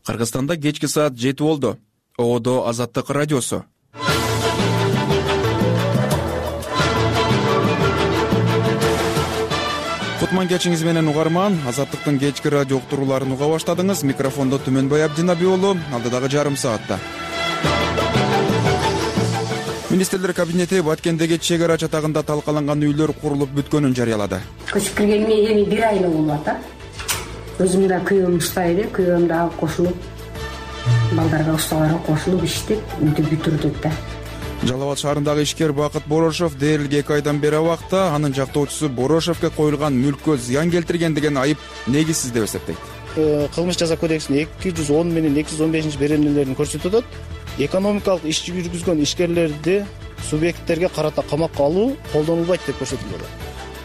Кыргызстанда кечки саат 7 болду. ООД Азаттык радиосу. Кутман кечиңиз менен угарман. Азаттыктын кечки радио уктурууларын уга баштадыңыз. Микрофондо Түмөнбай Абдинаби уулу. Алдыдагы жарым саатта. Министрлер кабинети Баткендеги чек ара чатагында талкаланган үйлөр курулуп бүткөнүн жарыялады. Көчүп келгениме эми 1 ай болуп атат. Өзүм да күйөөм уштайды, күйөөм да кошулуп, балдарга усталарга кошулуп иштеп, үйдү бүтүрдүк да. Жалал Абад шаарындагы ишкер Бакыт Борошов дээрлик 2 айдан бери убакта анын жактоочусу Борошовго коюлган мүлккө зыян келтирген деген айып негизсиз деп эсептейт. Кылмыш жаза кодексинин 210 менен 215 беренелерин көрсөтүп атат. Экономикалык иш жүргүзгөн ишкерлерди субъекттерге карата камакка алуу колдонулбайт деп көрсөтүлөт.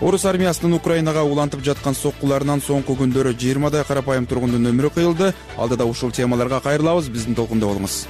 Орус армиясынын Украинага улантып жаткан соккуларынан соңку күндөрү 20дай карапайым тургундун өмүрү кыйылды. Алдыда ушул темаларга кайрылабыз, биздин толкунда болуңуз.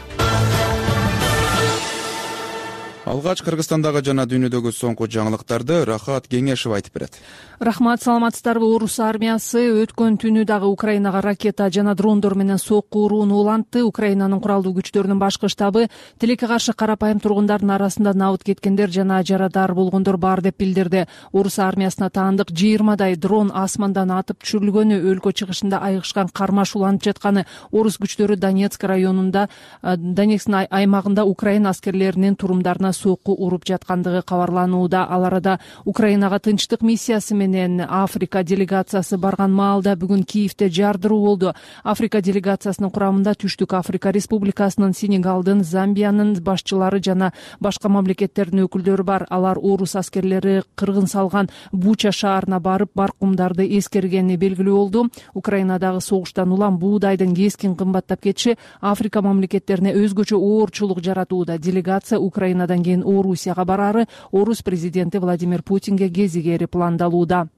Алгач Кыргызстандагы жана дүйнөдөгү соңку жаңылыктарды Рахат Кеңешев айтып берет. Рахмат, саламатсыздарбы? Орус армиясы өткөн түнү дагы Украинага ракета жана дрондор менен сокку урууну улантты. Украинанын куралдуу күчтөрүнүн башкы штабы тилекке каршы карапайым тургундардын арасында набыт кеткендер жана жарадар болгондор бар деп билдирди. Орус армиясына таандык 20дай дрон асмандан атып түшүрүлгөнү, өлкө чыгышында айыгышкан кармаш уланып жатканы, орус күчтөрү Донецк районунда, Донецктин аймагында Украина аскерлеринин турумдарына сокку уруп жаткандыгы кабарланууда. Ал арада Украинага тынчтык миссиясы менен Африка делегациясы барган маалда бүгүн Киевде жардыруу болду. Африка делегациясынын курамында Түштүк Африка Республикасынын, Сенегалдын, Замбиянын башчылары жана башка мамлекеттердин өкүлдөрү бар. Алар орус аскерлери кыргын салган Буча шаарына барып, баркумдарды эскергени белгилүү болду. Украинадагы согуштан улам буудайдын кескин кымбаттап кетиши Африка мамлекеттерине өзгөчө оорчулук жаратууда. Делегация Украинадан кийин Орусияга барары орус президенти Владимир Путинге кезигери пландалууда.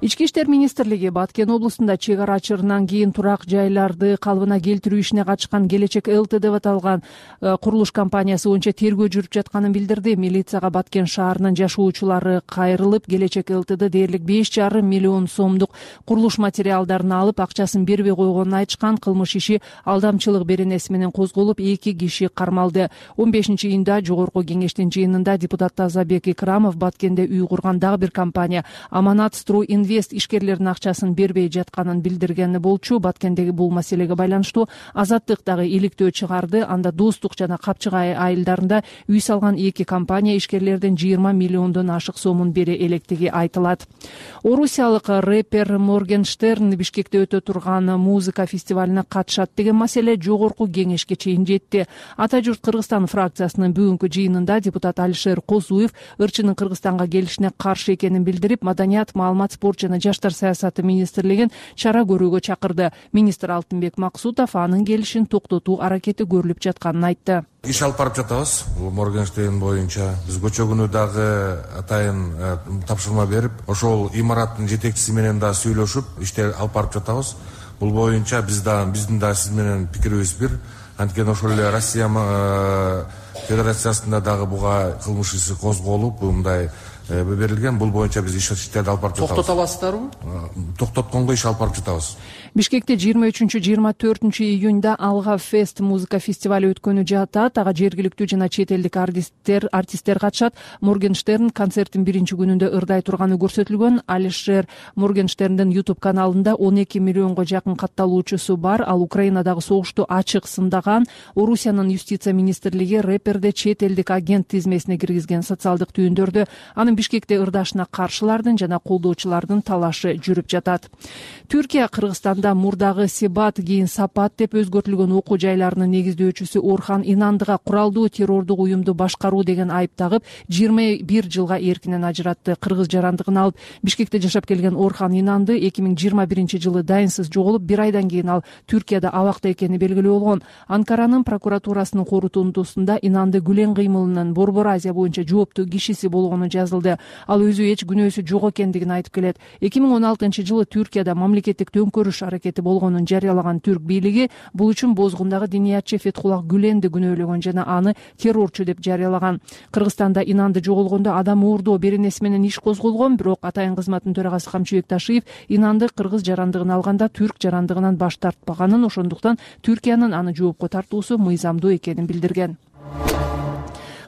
Ички иштер министрлиги Баткен облусунда чек ара ачырынан кийин турак жайларды калыбына келтирүү ишине катышкан Келечек ЛТ деп аталган курулуш компаниясы боюнча тергөө жүрүп жатканын билдирди. Милицияга Баткен шаарынын жашоочулары кайрылып, Келечек ЛТды дээрлик 5,5 миллион сомдук курулуш материалдарын алып, акчасын бербей койгонун айтышкан. Кылмыш иши алдамчылык беренеси менен козголуп, 2 киши кармалды. 15-июнда жогорку кеңештин жыйынында депутат Тазабек Икрамов Баткенде үй курган дагы бир компания Аманат Строй Инвест ишкерлердин акчасын бербей жатканын билдиргени болчу. Баткендеги бул маселеге байланыштуу Азаттык дагы иликтөө чыгарды. Анда Достук жана Капчыгай айылдарында үй салган 2 компания ишкерлердин 20 миллиондон ашык сомун бере электиги айтылат. Орусиялык рэпер Моргенштерн Бишкекте өтө турган музыка фестивалине катышат деген маселе жогорку кеңешке чейин жетти. Ата журт Кыргызстан фракциясынын бүгүнкү жыйынында депутат Алишер Козуев ырчынын Кыргызстанга келишине каршы экенин билдирип, маданият, маалымат, спорт жана жаштар саясаты министрлигин чара көрүүгө чакырды. Министр Алтынбек Максутов анын келишин токтотуу аракети көрүлүп жатканын айтты. Иш алып барып жатабыз. Бул Моргенштерн боюнча биз көчө күнү дагы атайын тапшырма берип, ошол имараттын жетекчиси менен да сүйлөшүп, иштер алып барып жатабыз. Бул боюнча биздин да сиз менен пикирибиз бир. Анткени ошол эле Россия Федерациясында дагы буга кылмыш иши козголуп, мындай берилген. Бул боюнча биз иштерди алып барып жатабыз. Токтото аласыздарбы? Токтотконго иш алып барып жатабыз. Бишкекте 23-24 июнда Алга Фест музыка фестивали өткөнү жатат. Ага жергиликтүү жана чет элдик артисттер катышат. Моргенштерн концерттин биринчи күнүндө ырдай турганы көрсөтүлгөн. Алишер Моргенштерндин YouTube каналында 12 миллионго жакын катталуучусу бар. Ал Украинадагы согушту ачык сындаган. Орусиянын юстиция министрлиги рэперди чет элдик агент тизмесине киргизген. Социалдык түйүндөрдө анын Бишкекте ырдашына каршылардын жана колдоочулардын талашы жүрүп жатат. Түркия Кыргызстанда мурдагы Себат кийин Сапат деп өзгөртүлгөн окуу жайларынын негиздөөчүсү Орхан Инандыга куралдуу террордук уюмду башкаруу деген айып тагып 21 жылга эркинен ажыратты. Кыргыз жарандыгын алып Бишкекте жашап келген Орхан Инанды 2021 жылы дайынсыз жоголуп, 1 айдан кийин ал Түркияда абакта экени белгилүү болгон. Анкаранын прокуратурасынын корутундусунда Инанды күлен кыймылынын Борбор Азия боюнча жооптуу кишиси болгону жазылды. калды. Ал өзү эч күнөөсү жок экендигин айтып келет. 2016-жылы Түркияда мамлекеттик төңкөрүш аракети болгонун жарыялаган түрк бийлиги бул үчүн бозгундагы диниятчы Фетхуллах Гүленди күнөөлөгөн жана аны террорчу деп жарыялаган. Кыргызстанда Инанды жоголгондо адам уурдоо беренеси менен иш козголгон, бирок Атайын кызматтын төрагасы Камчыбек Ташиев Инанды кыргыз жарандыгын алганда түрк жарандыгынан баш тартпаганын, ошондуктан Түркиянын аны жоопко тартуусу мыйзамдуу экенин билдирген.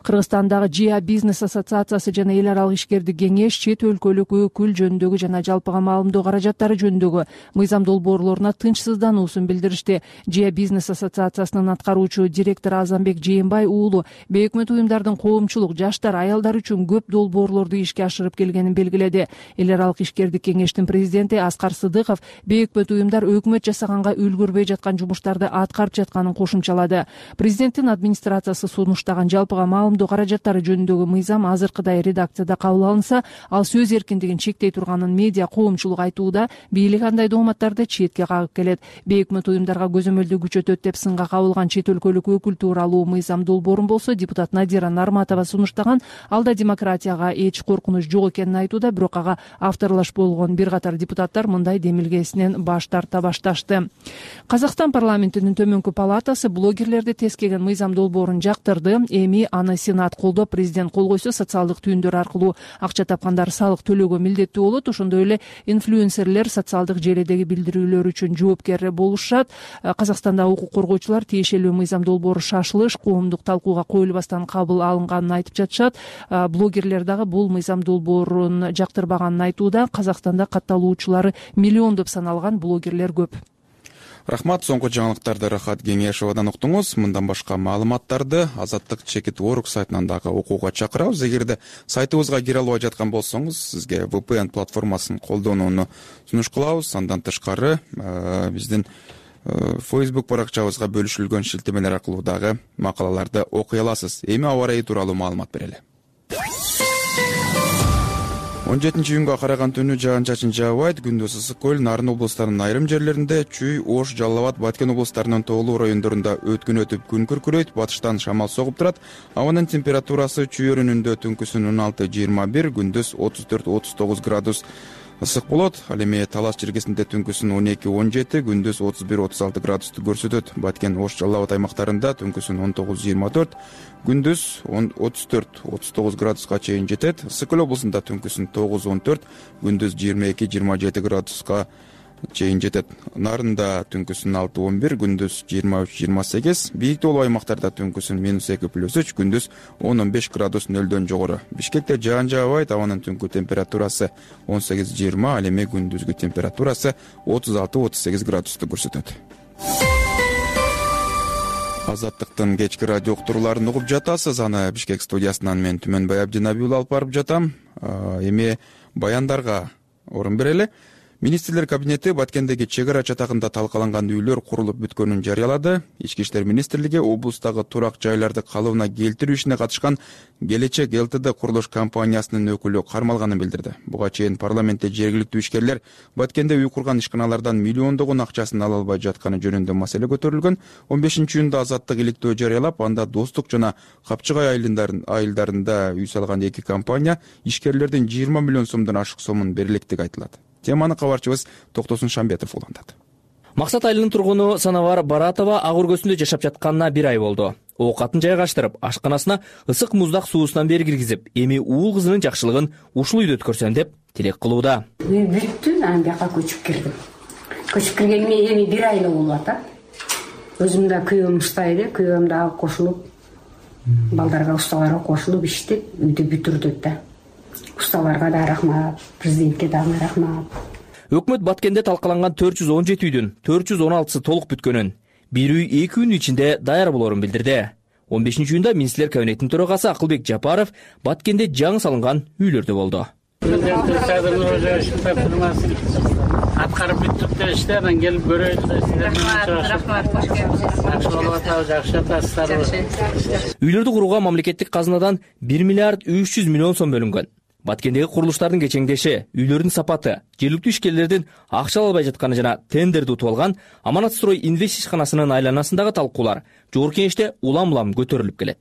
Кыргызстандагы ЖИА бизнес ассоциациясы жана эл аралык ишкердик кеңеш чет өлкөлүк өкүл жөнүндөгү жана жалпыга маалымдоо каражаттары жөнүндөгү мыйзам долбоорлоруна тынчсыздануусун билдиришти. ЖИА бизнес ассоциациясынын аткаруучу директору Азамбек Жээнбай уулу бейөкмөт уюмдардын коомчулук, жаштар, аялдар үчүн көп долбоорлорду ишке ашырып келгенин белгиледи. Эл аралык ишкердик кеңештин президенти Аскар Сыдыков бейөкмөт уюмдар өкмөт жасаганга үлгүрбөй жаткан жумуштарды аткарып жатканын кошумчалады. Президенттин администрациясы сунуштаган жалпыга маалымдоо каражаттары жөнүндөгү мыйзам азыркыдай редакцияда кабыл алынса, ал сөз эркиндигин чектей турганын медиа коомчулук айтууда, бийлик андай дооматтарды четке кагып келет. Бейөкмөт уюмдарга көзөмөлдү күчөтөт деп сынга кабылган чет өлкөлүк өкүл тууралуу мыйзам долбоорун болсо депутат Надира Нарматова сунуштаган. Алда демократияга эч коркунуч жок экенин айтууда, бирок ага авторлаш болгон бир катар депутаттар мындай демилгесинен баш тарта башташты. Казакстан парламентинин төмөнкү палатасы блогерлерди тескеген мыйзам долбоорун жактырды. Эми аны Сенат колдоп, президент кол койсо, социалдык түйүндөр аркылуу акча тапкандар салык төлөөгө милдеттүү болот. Ошондой эле инфлюенсерлер социалдык желидеги билдирүүлөр үчүн жоопкер болушат. Казакстанда укук коргоочулар тиешелүү мыйзам долбоору шашылыш коомдук талкууга коюлбастан кабыл алынганын айтып жатышат. Блогерлер дагы бул мыйзам долбоорун жактырбаганын айтууда. Казакстанда катталуучулары миллиондоп саналган блогерлер көп. Рахмат, соңку жаңылыктарды Рахат Кеңешовадан уктуңуз. Мындан башка маалыматтарды Азаттык Чекит.org сайтынан дагы окууга чакырабыз. Эгерде сайтыбызга кире албай жаткан болсоңуз, сизге VPN платформасын колдонууну сунуш кылабыз. Андан тышкары биздин Facebook баракчабызга бөлүшүлгөн шилтемелер аркылуу дагы макалаларды окуй аласыз. Эми аба ырайы тууралуу маалымат берели. 17-июнга караган түнү жаан-чачын жаабайт. Күндүз ысык көл, Нарын облустарынын айрым жерлеринде, Чүй, Ош, Жалал Абад, Баткен облустарынын тоолуу райондорунда өткүн өтүп күн күркүрөйт. Батыштан шамал согуп турат. Абанын температурасы Чүй өрүнүндө түнкүсүн 16-21, күндүз 34-39 градус ысык болот. Ал эми Талас жергесинде түнкүсүн 12-17, күндүз 31-36 градусту көрсөтөт. Баткен, Ош, Жалал Абад аймактарында түнкүсүн 19-24, күндүз 34-39 градуска чейин жетет. Ысык көл облусунда түнкүсүн 9-14, күндүз 22-27 градуска чейин жетет. Нарында түнкүсүн 6-11, күндүз 23-28, бийик тоолуу аймактарда түнкүсүн -2+3, күндүз 10-15 градус нөлдөн жогору. Бишкекте жаан жаабайт, абанын түнкү температурасы 18-20, ал эми күндүзгү температурасы 36-38 градусту көрсөтөт. Азаттыктын кечки радио уктурууларын угуп жатасыз. Аны Бишкек студиясынан мен Түмөнбай Абдинабиев алып барып жатам. Эми баяндарга орун берели. Министрлер кабинети Баткендеги чек ара чатагында талкаланган үйлөр курулуп бүткөнүн жарыялады. Ички иштер министрлиги облустагы турак жайларды калыбына келтирүү ишине катышкан Келечек ЛТД курулуш компаниясынын өкүлү кармалганын билдирди. Буга чейин парламентте жергиликтүү ишкерлер Баткенде үй курган ишканалардан миллиондогон акчасын ала албай жатканы жөнүндө маселе көтөрүлгөн. 15-июнда Азаттык иликтөө жарыялап, анда Достук жана Капчыгай айылдарында үй салган эки компания ишкерлердин 20 миллион сомдон ашык сомун берилектиги айтылат. Теманы кабарчыбыз Токтосун Шамбетов улантат. Максат айылынын тургуну Санавар Баратова ак өргөсүндө жашап жатканына 1 ай болду. Оокатын жайгаштырып, ашканасына ысык муздак суусунан бери киргизип, эми уул кызынын жакшылыгын ушул үйдө өткөрсөм деп тилек кылууда. Үй бүттү, анан бияка көчүп кирдим. Көчүп киргениме эми 1 ай болуп атат. Өзүм да күйөөм уштайды, күйөөм дагы кошулуп, балдарга, усталарга кошулуп иштеп, үйдү бүтүрдүк да. Усталарга да рахмат, президентке дагы рахмат. Өкмөт Баткенде талкаланган 417 үйдүн 416сы толук бүткөнүн, бир үй 2 күн ичинде даяр болорун билдирди. 15-июнда министрлер кабинетинин төрагасы Акылбек Жапаров Баткенде жаңы салынган үйлөрдө болду. Аткарып бүттүк дешти, анан келип көрөйүн. Рахмат, кош келипсиз. Жакшы болуп атабыз, жакшы атасыздар. Үйлөрдү курууга мамлекеттик казынадан 1 миллиард 300 миллион сом бөлүнгөн. Баткендеги курулуштардын кечеңдеши, үйлөрдүн сапаты, жергиликтүү ишкерлердин акча албай жатканы жана тендерди утуп алган Аманат Строй инвест ишканасынын айланасындагы талкуулар жогорку кеңеште улам-улам көтөрүлүп келет.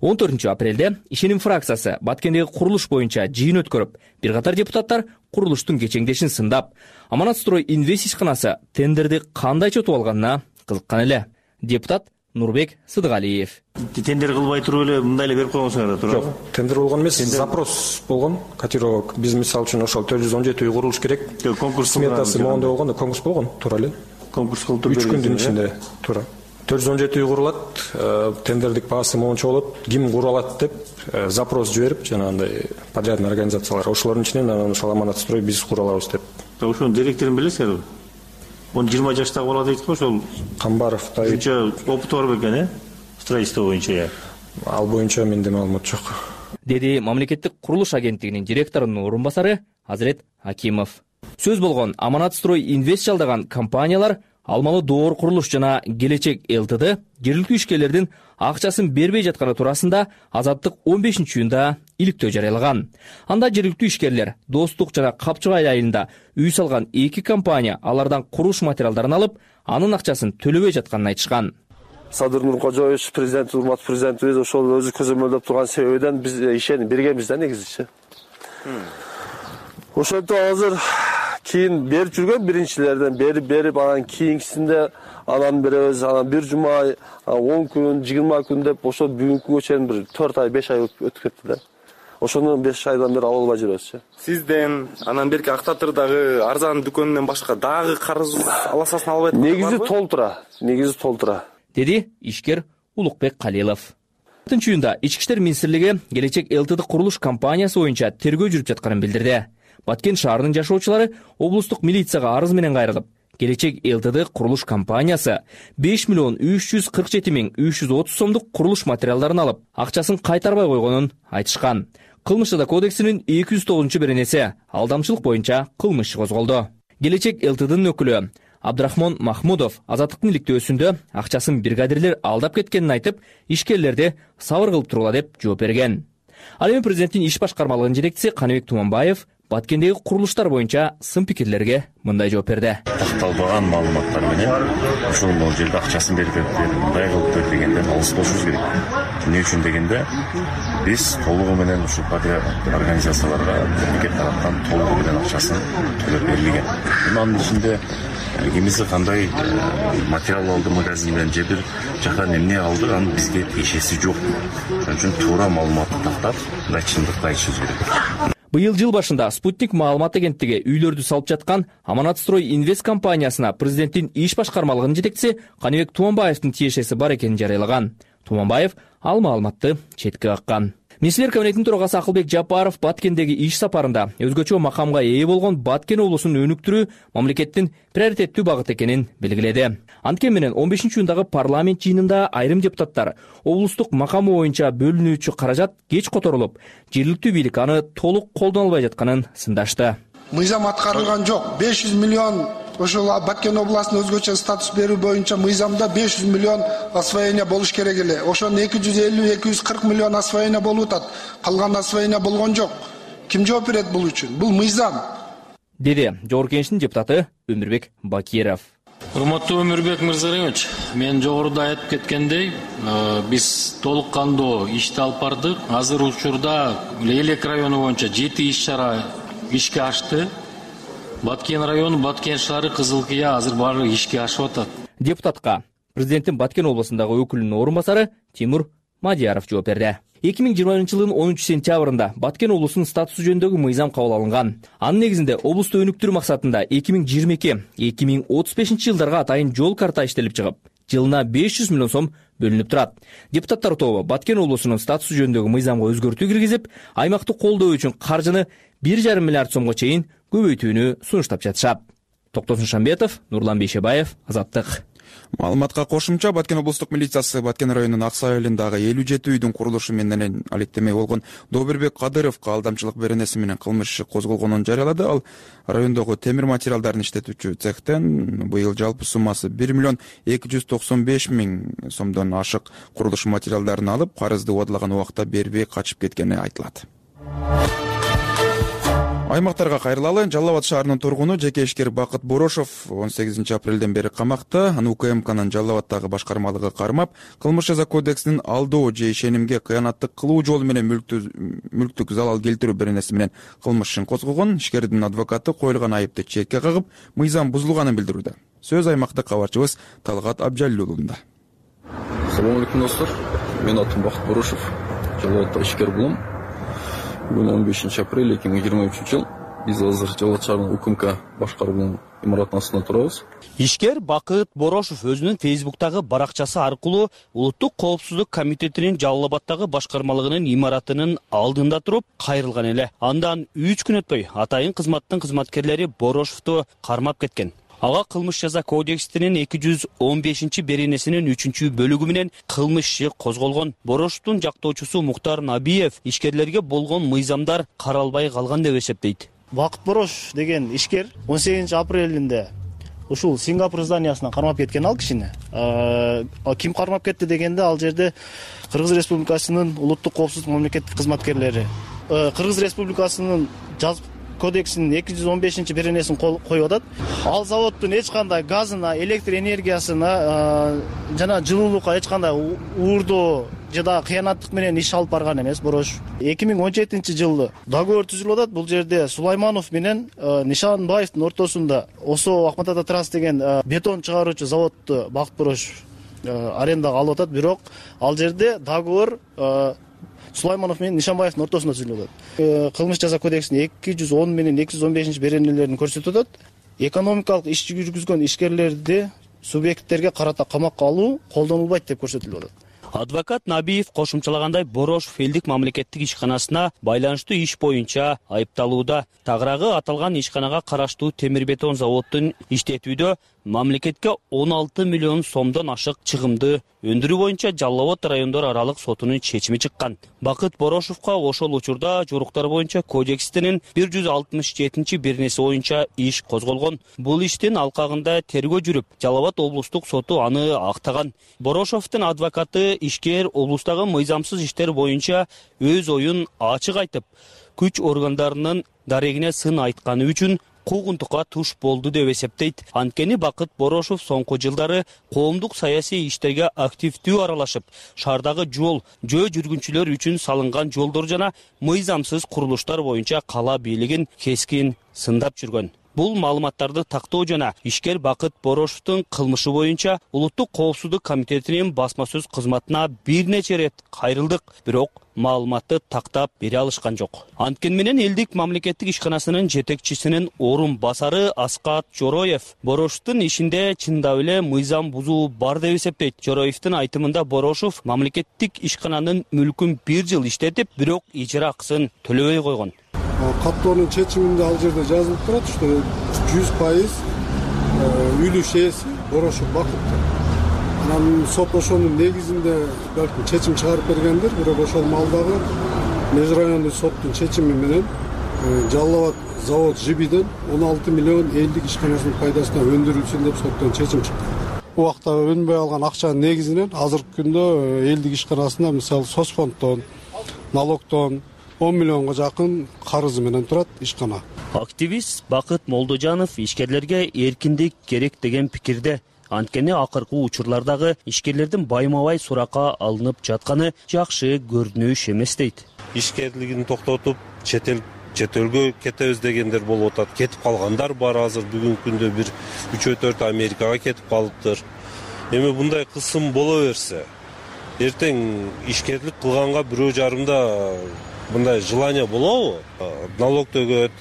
14-апрелде ишеним фракциясы Баткендеги курулуш боюнча жыйын өткөрүп, бир катар депутаттар курулуштун кечеңдешин сындап, Аманатстрой Инвест ишканасы тендерди кандайча утуп алганына кызыккан эле. Депутат Нурбек Сыдыгалиев. Тендер кылбай туруп эле мындай эле берип койгонсуңар да туура? Жок, тендер болгон эмес, запрос болгон. Котировок биз мисалы үчүн ошол 417 үй курулуш керек. Конкурс сметасы моундай болгон, конкурс болгон, туура эле. Конкурс кылып туруп 3 күндүн ичинде, туура. 417 үй курулат, тендердик баасы моунча болот, ким кура алат деп запрос жиберип, жанагындай подрядный организациялар, ошолордун ичинен ошол Аманатстрой биз кура алабыз деп. Ошонун директорун билесиңерби? 20 жаштагы бала дейт го, ошол Камбаров Давид. Үчө опыты бар бекен, строительство боюнча. Ал боюнча менде маалымат жок. Деди мамлекеттик курулуш агенттигинин директорунун орун басары Азирет Акимов. Сөз болгон Аманатстрой Инвест жалдаган компаниялар Алмалы Доор курулуш жана Келечек ЛТД жергиликтүү ишкерлердин акчасын бербей жатканы туурасында Азаттык 15-июнда иликтөө жарыялаган. Анда жергиликтүү ишкерлер Достук жана Капчыгай айылында үй салган 2 компания алардан курулуш материалдарын алып, анын акчасын төлөбөй жатканын айтышкан. Садыр Нуркожоевич, президент, урматтуу президентибиз ошол өзү көзөмөлдөп турган себебинен биз ишенip бергенбиз да негизичи. Ошентип азыр кийин берип жүргөн биринчилерден берип анан кийинкисинде анан беребиз, анан бир жума, 10 күн, 20 күн деп ошо бүгүнкү күнгө чейин бир 4 ай, 5 ай өтүп кетти да. Ошону 5 айдан бери ала албай жүрөбүз. Сизден, анан берки Актатырдагы арзан дүкөнүнөн башка дагы карыз аласасын албайт? Негизи толтура. Деди ишкер Улукбек Калилов. 4-июнда Ички иштер министрлиги Келечек ЛТД курулуш компаниясы боюнча тергөө жүрүп жатканын билдирди. Баткен шаарынын жашоочулары облустук милицияга арыз менен кайрылып, Келечек ЛТД курулуш компаниясы 5 миллион 347 миң 330 сомдук курулуш материалдарын алып, акчасын кайтарбай койгонун айтышкан. Кылмыш жада кодексинин 209-беренеси алдамчылык боюнча кылмыш козголду. Келечек ЛТДнын өкүлү Абдрахмон Махмудов Азаттыктын иликтөөсүндө акчасын бригадирлер алдап кеткенин айтып, ишкерлерди сабыр кылып тургула деп жооп берген. Ал эми президенттин иш башкармалыгынын жетекчиси Каныбек Туманбаев Баткендеги курулуштар боюнча сын пикирлерге мындай жооп берди. Такталбаган маалыматтар менен ушул жерде акчасын берип мындай кылып дегенден алыс болушубуз керек. Эмне үчүн дегенде биз толугу менен ушул организацияларга мемлекет тараптан толугу менен акчасын төлөп берилген. Анын ичинде кимиси кандай материал алды магазинден же бир жактан эмне алды, анын бизге тиешеси жок. Ошон үчүн туура маалыматты тактап, мындай чындыкты айтышыбыз керек. Быйыл жыл башында Спутник маалымат агенттиги үйлөрдү салып жаткан Аманатстрой Инвест компаниясына президенттин иш башкармалыгынын жетекчиси Каныбек Туманбаевдин тиешеси бар экенин жарыялаган. Туманбаев ал маалыматты четке каккан. Министрлер кабинетинин төрагасы Акылбек Жапаров Баткендеги иш сапарында өзгөчө макамга ээ болгон Баткен облусун өнүктүрүү мамлекеттин приоритеттүү багыты экенин белгиледи. Анткени менен 15-июндагы парламент жыйынында айрым депутаттар облустук макамы боюнча бөлүнүүчү каражат кеч которулуп, жергиликтүү бийлик аны толук колдоно албай жатканын сындашты. Мыйзам аткарылган жок. 500 миллион ошол Баткен областына өзгөчө статус берүү боюнча мыйзамда 500 миллион освоение болуш керек эле. Ошонун 250-240 миллион освоение болуп атат. Калган освоение болгон жок. Ким жооп берет бул үчүн? Бул мыйзам. Деди Жогорку Кеңештин депутаты Өмүрбек Бакиров. Урматтуу Өмүрбек Мырзалиевич, мен жогоруда айтып кеткендей, биз толук кандуу ишти алып бардык. Азыр учурда Элек району боюнча 7 иш-чара ишке ашты. Баткен району, Баткен шаары, Кызыл Кыя азыр баары ишке ашып атат. Депутатка президенттин Баткен облусундагы өкүлүнүн орун басары Тимур Мадияров жооп берди. 2020-жылдын 10-сентябрында Баткен облусунун статусу жөнүндөгү мыйзам кабыл алынган. Анын негизинде облусту өнүктүрүү максатында 2022-2035 жылдарга атайын жол карта иштелип чыгып, жылына 500 миллион сом бөлүнүп турат. Депутаттар тобу Баткен облусунун статусу жөнүндөгү мыйзамга өзгөртүү киргизип, аймакты колдоо үчүн каржыны 1,5 миллиард сомго чейин көбөйтүүнү сунуштап жатышат. Токтосун Шамбетов, Нурлан Бейшебаев, Азаттык. Маалыматка кошумча Баткен облустук милициясы Баткен районунун Аксай айылындагы 57 үйдүн курулушу менен алектемей болгон Добурбек Кадыровго алдамчылык беренеси менен кылмыш иши козголгонун жарыялады. Ал райондогу темир материалдарын иштетүүчү цехтен быйыл жалпы суммасы 1 миллион 295 миң сомдон ашык курулуш материалдарын алып, карызды убадылаган убакта бербей качып кеткени айтылат. Аймактарга кайрылалы. Жалал Абад шаарынын тургуну жеке ишкер Бакыт Борошов 18 апрелден бери камакта. Аны УКМКнын Жалал Абаддагы башкармалыгы кармап, кылмыш жаза кодексинин алдоо же ишенимге кыянаттык кылуу жолу менен мүлктүк залал келтирүү беренеси менен кылмыш ишин козгогон. Ишкердин адвокаты коюлган айыпты четке кагып, мыйзам бузулганын билдирүүдө. Сөз аймактык кабарчыбыз Талгат Абжалилуулунда. Салам алейкум достор. Мен атым Бакыт Борошов. Жалал Абадда ишкер болом. Бүгүн 15 апрель 2023 жыл. Биз азыр Жалал Абад шаарынын УКМК башкарууунун имараттын астында турабыз. Ишкер Бакыт Борошов өзүнүн Фейсбуктагы баракчасы аркылуу Улуттук коопсуздук комитетинин Жалал Абаддагы башкармалыгынын имаратынын алдында туруп кайрылган эле. Андан 3 күн өтпөй атайын кызматтын кызматкерлери Борошовду кармап кеткен. Ага кылмыш жаза кодексинин 215 беренесинин 3-бөлүгү менен кылмыш иши козголгон. Борошовдун жактоочусу Муктар Набиев ишкерлерге болгон мыйзамдар каралбай калган деп эсептейт. Бакыт Борошов деген ишкер 18 апрелинде ушул Сингапур зданиясынан кармап кеткен ал кишини. Ким кармап кетти дегенде ал жерде Кыргыз Республикасынын улуттук коопсуздук мамлекеттик кызматкерлери. Кыргыз Республикасынын жазып кодексинин 215 беренесин коюп атат. Ал заводдун эч кандай газына, электр энергиясына жана жылуулукка эч кандай уурдоо жада кыянаттык менен иш алып барган эмес Борошов. 2017 жылы договор түзүлүп атат. Бул жерде Сулайманов менен Нишанбаевдин ортосунда Осо Ахмат Ата Транс деген бетон чыгаруучу заводду Бакыт Борошов арендага алып атат. Бирок ал жерде договор Сулайманов менен Нишанбаевдин ортосунда түзүлүп атат. Кылмыш жаза кодексинин 210 менен 215 беренелерин көрсөтүп атат. Экономикалык иш жүргүзгөн ишкерлерди субъекттерге карата камакка алуу колдонулбайт деп көрсөтүлүп атат. Адвокат Набиев кошумчалагандай, Борошов элдик мамлекеттик ишканасына байланыштуу иш боюнча айыпталууда. Тагыраагы аталган ишканага караштуу темир бетон заводдун иштетүүдө мамлекетке 16 миллион сомдон ашык чыгымды өндүрүү боюнча Жалал Абад райондор аралык сотунун чечими чыккан. Бакыт Борошовго ошол учурда жоруктар боюнча кодекстин 167 беренеси боюнча иш козголгон. Бул иштин алкагында тергөө жүрүп, Жалал Абад облустук соту аны актаган. Борошовдун адвокаты ишкер облустагы мыйзамсыз иштер боюнча өз оюн ачык айтып, күч органдарынын дарегине сын айтканы үчүн куугунтукка туш болду деп эсептейт. Анткени Бакыт Борошов соңку жылдары коомдук саясий иштерге активдүү аралашып, шаардагы жол, жөө жүргүнчүлөр үчүн салынган жолдор жана мыйзамсыз курулуштар боюнча кала бийлигин кескин сындап жүргөн. Бул маалыматтарды тактоо жана ишкер Бакыт Борошовдун кылмышы боюнча Улуттук коопсуздук комитетинин басма сөз кызматына бир нече рет кайрылдык, бирок маалыматты тактап бере алышкан жок. Анткени менен элдик мамлекеттик ишканасынын жетекчисинин орун басары Аскат Жороев Борошовдун ишинде чындап эле мыйзам бузуу бар деп эсептейт. Жороевдин айтымында Борошов мамлекеттик ишкананын мүлкүн 1 жыл иштетип, бирок ижара акысын төлөбөй койгон. Каттоонун чечиминде ал жерде жазылып турат, что 100% үлүш ээси Борошов Бакыт. Анан сот ошонун негизинде балким чечим чыгарып бергендир, бирок ошол маалдагы меж райондук соттун чечими менен Жалал Абад завод ЖИБиден 16 миллион элдик ишканасынын пайдасына өндүрүлсүн деп соттон чечим чыкты. Убакта өнбөй алган акчанын негизинен азыркы күндө элдик ишканасына мисалы соцфонддон, налогдон 10 миллионго жакын карызы менен турат ишкана. Активист Бакыт Молдожанов ишкерлерге эркиндик керек деген пикирде. Анткени акыркы учурлардагы ишкерлердин байма-бай суракка алынып жатканы жакшы көрүнүш эмес дейт. Ишкерлигин токтотуп, чет элге кетебиз дегендер болуп атат. Кетип калгандар бар азыр бүгүнкү күндө бир 3-4 Америкага кетип калыптыр. Эми мындай кысым боло берсе, эртең ишкерлик кылганга бирөө жарымда мындай желание болобу? Налог төгөт,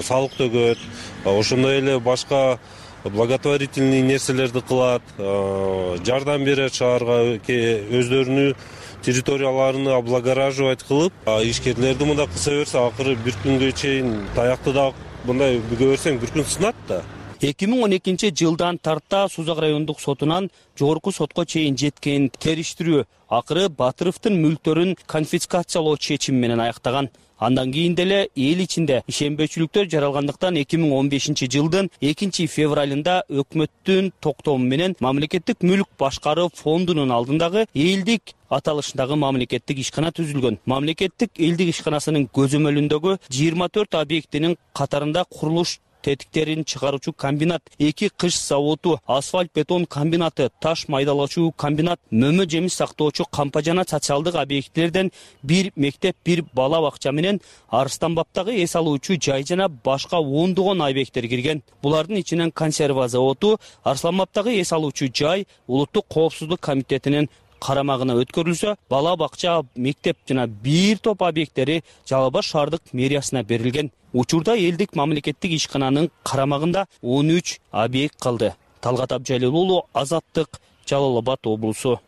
салык төгөт, ошондой эле башка благотворительный нерселерди кылат, жардам берет шаарга, өздөрүнүн территорияларын облагораживать кылып, ишкерлерди мындай кыса берсе, акыры бир күнгө чейин таякты да мындай бүгө берсең бир күн сынат да. 2012 жылдан тарта Сузак райондук сотунан жогорку сотко чейин жеткен териштирүү акыры Батыровдун мүлктөрүн конфискациялоо чечими менен аяктаган. Андан кийин деле эл ичинде ишенбөөчүлүктөр жаралгандыктан 2015-жылдын 2-февралында өкмөттүн токтому менен мамлекеттик мүлк башкаруу фондунун алдындагы элдик аталышындагы мамлекеттик ишкана түзүлгөн. Мамлекеттик элдик ишканасынын көзөмөлүндөгү 24 объектинин катарында курулуш тетиктерин чыгаруучу комбинат, 2 кыш заводу, асфальт бетон комбинаты, таш майдалоочу комбинат, мөмө жемиш сактоочу кампа жана социалдык объектилерден 1 мектеп, 1 бала бакча менен Арыстанбаптагы эс алуучу жай жана башка ондогон объекттер кирген. Булардын ичинен консерва заводу, Арсланбаптагы эс алуучу жай улуттук коопсуздук комитетинин карамагына өткөрүлсө, бала бакча, мектеп жана бир топ объекттери Жалал Абад шаардык мэриясына берилген. Учурда элдик мамлекеттик ишкананын карамагында 13 объект калды. Талгат Абжалил уулу, Азаттык, Жалал Абад облусу.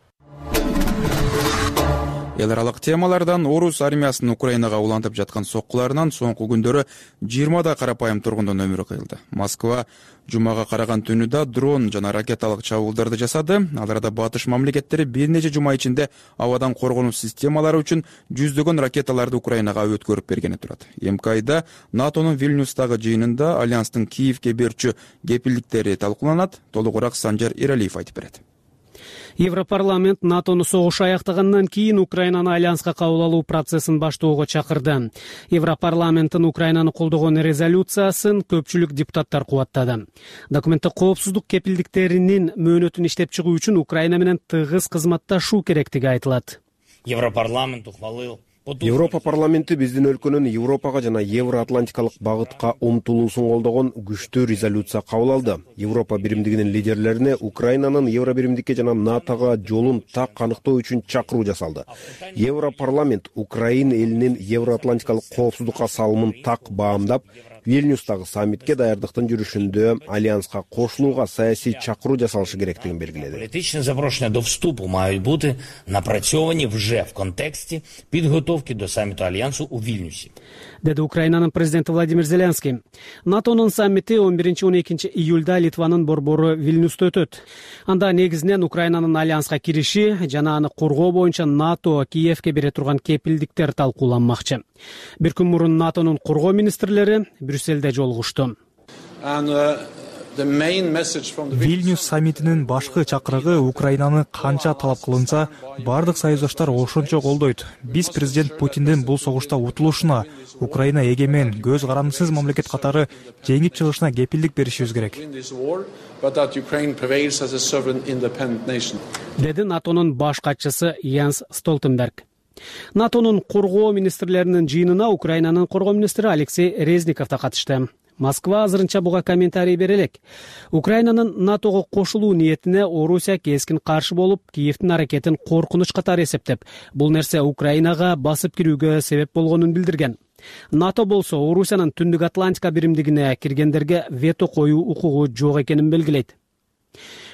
Эл аралык темалардан орус армиясынын Украинага улантып жаткан соккуларынан соңку күндөрү 20 карапайым тургундун өмүрү кыйылды. Москва жумага караган түнү дрон жана ракеталык чабуулдарды жасады. Аларда батыш мамлекеттери бир нече жума ичинде абадан коргонуу системалары үчүн жүздөгөн ракеталарды Украинага өткөрүп бергени турат. Эмки айда НАТОнун Вильнюстагы жыйынында альянстын Киевке берчү кепилдиктери талкууланат. Толугураак Санжар Иралиев айтып берет. Европарламент НАТОну согуш аяктагандан кийин Украинаны альянска кабыл алуу процессин баштоого чакырды. Европарламенттин Украинаны колдогон резолюциясын көпчүлүк депутаттар кубаттады. Документте коопсуздук кепилдиктеринин мөөнөтүн иштеп чыгуу үчүн Украина менен тыгыз кызматташуу керектиги айтылат. Европарламент ухвалыл Европа парламенти биздин өлкөнүн Европага жана Евроатлантикалык багытка умтулуусун колдогон күчтүү резолюция кабыл алды. Европа биримдигинин лидерлерине Украинанын Евробиримдикке жана НАТОга жолун так аныктоо үчүн чакыруу жасалды. Европарламент Украина элинин Евроатлантикалык коопсуздукка салымын так баамдап, Вильнюстагы саммитке даярдыктын жүрүшүндө альянска кошулууга саясий чакыруу жасалышы керектигин белгиледи. Політичне запрошення до вступу мають бути напрацьовані вже в контексті підготовки до саміту альянсу у Вільнюсі. Деди Украинанын президенти Владимир Зеленский. НАТОнун саммити 11-12 июлда Литванын борбору Вильнюста өтөт. Анда негизинен Украинанын альянска кириши жана аны коргоо боюнча НАТО Киевке бере турган кепилдиктер талкууланмакчы. Бир күн мурун НАТОнун коргоо министрлери Брюссельде жолугушту. Вильнюс саммитинин башкы чакырыгы Украинаны канча талап кылынса, бардык союздаштар ошончо колдойт. Биз президент Путиндин бул согушта утулушуна, Украина эгемен, көз карандысыз мамлекет катары жеңип чыгышына кепилдик беришибиз керек. Деди НАТОнун баш катчысы Янс Столтенберг. НАТОнун коргоо министрлеринин жыйынына Украинанын коргоо министри Алексей Резников да катышты. Москва азырынча буга комментарий бере элек. Украинанын НАТОго кошулуу ниетине Орусия кескин каршы болуп, Киевдин аракетин коркунуч катары эсептеп, бул нерсе Украинага басып кирүүгө себеп болгонун билдирген. НАТО болсо Орусиянын Түндүк Атлантика биримдигине киргендерге вето коюу укугу жок экенин белгилейт.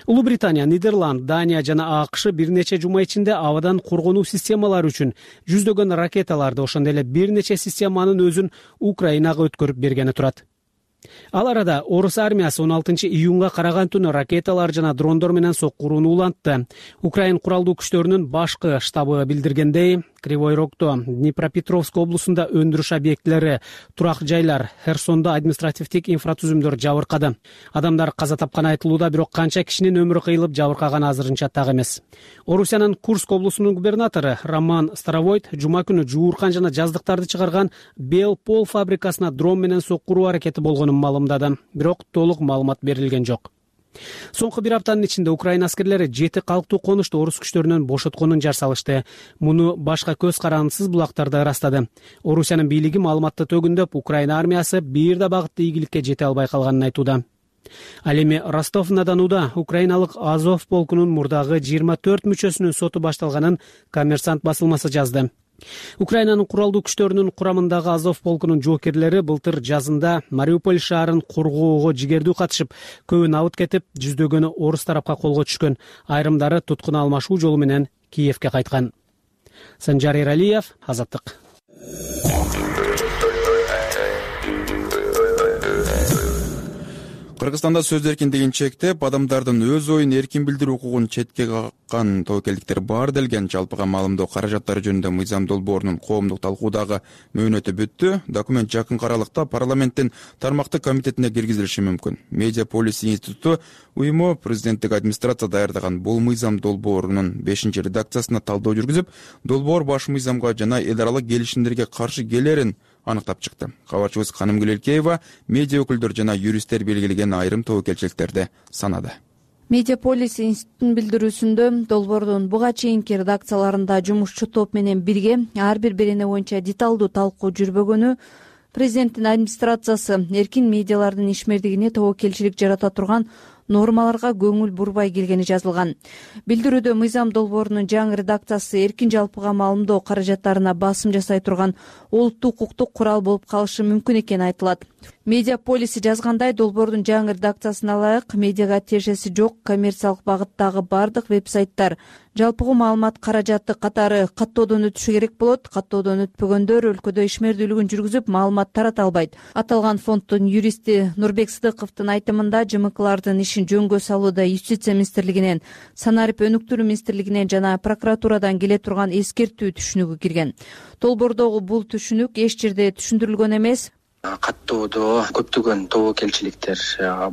Улуу Британия, Нидерланд, Дания жана АКШ бир нече жума ичинде абадан коргонуу системалары үчүн жүздөгөн ракеталарды, ошондой эле бир нече системанын өзүн Украинага өткөрүп бергени турат. Ал арада орус армиясы 16-июнга караган түнү ракеталар жана дрондор менен соккурууну улантты. Украин куралдуу күчтөрүнүн башкы штабы билдиргендей, Кривой Рогдо, Днепропетровск облусунда өндүрүш объектилери, турак жайлар, Херсондо административдик инфратүзүмдөр жабыркады. Адамдар каза тапканы айтылууда, бирок канча кишинин өмүрү кыйылып жабыркаганы азырынча так эмес. Орусиянын Курск облусунун губернатору Роман Старовойт жума күнү жууркан жана жаздыктарды чыгарган Белпол фабрикасына дрон менен соккуруу аракети болгонун маалымдады. Бирок толук маалымат берилген жок. Соңку бир аптанын ичинде Украина аскерлери 7 калктуу конушту орус күчтөрүнөн бошотконун жар салышты. Муну башка көз карандысыз булактарда ырастады. Орусиянын бийлиги маалыматты төгүндөп, Украина армиясы бир да багытта ийгиликке жете албай калганын айтууда. Ал эми Ростов-на-Донуда украиналык Азов полкунун мурдагы 24 мүчөсүнүн соту башталганын Коммерсант басылмасы жазды. Украинанын куралдуу күчтөрүнүн курамындагы Азов полкунун жоокерлери былтыр жазында Мариуполь шаарын коргоого жигердүү катышып, көбү набыт кетип, жүздөгөнү орус тарапка колго түшкөн. Айрымдары туткун алмашуу жолу менен Киевке кайткан. Санжар Иралиев, Азаттык. Кыргызстанда сөз эркиндигин чектеп, адамдардын өз оюн эркин билдирүү укугун четке каккан тобокелдиктер бар делген жалпыга маалымдоо каражаттары жөнүндө мыйзам долбоорунун коомдук талкуудагы мөөнөтү бүттү. Документ жакын аралыкта парламенттин тармактык комитетине киргизилиши мүмкүн. Media Policy институту уюму президенттик администрация даярдаган бул мыйзам долбоорунун 5-редакциясына талдоо жүргүзүп, долбоор баш мыйзамга жана эл аралык келишимдерге каршы келерин аныктап чыкты. Кабарчыбыз Канымгүл Элкеева медиа өкүлдөр жана юристтер белгилеген айрым тобокелчиликтерди санады. Media Policy институтунун билдирүүсүндө долбоордун буга чейинки редакцияларында жумушчу топ менен бирге ар бир берене боюнча деталдуу талкуу жүрбөгөнү, президенттин администрациясы эркин медиалардын ишмердигине тобокелчилик жарата турган нормаларга көңүл бурбай келгени жазылган. Билдирүүдө мыйзам долбоорунун жаңы редакциясы эркин жалпыга маалымдоо каражаттарына басым жасай турган олуттуу укуктук курал болуп калышы мүмкүн экени айтылат. Media Policy жазгандай, долбоордун жаңы редакциясына ылайык медиага тиешеси жок коммерциялык багыттагы бардык веб-сайттар жалпыгы маалымат каражаты катары каттоодон өтүшү керек болот. Каттоодон өтпөгөндөр өлкөдө ишмердүүлүгүн жүргүзүп маалымат тарата албайт. Аталган фонддун юристи Нурбек Сыдыковдун айтымында ЖМКлардын ишин жөнгө салууда Юстиция министрлигинен, Санарип өнүктүрүү министрлигинен жана прокуратурадан келе турган эскертүү түшүнүгү кирген. Долбоордогу бул түшүнүк эч жерде түшүндүрүлгөн эмес. Каттоодо көптөгөн тобокелчиликтер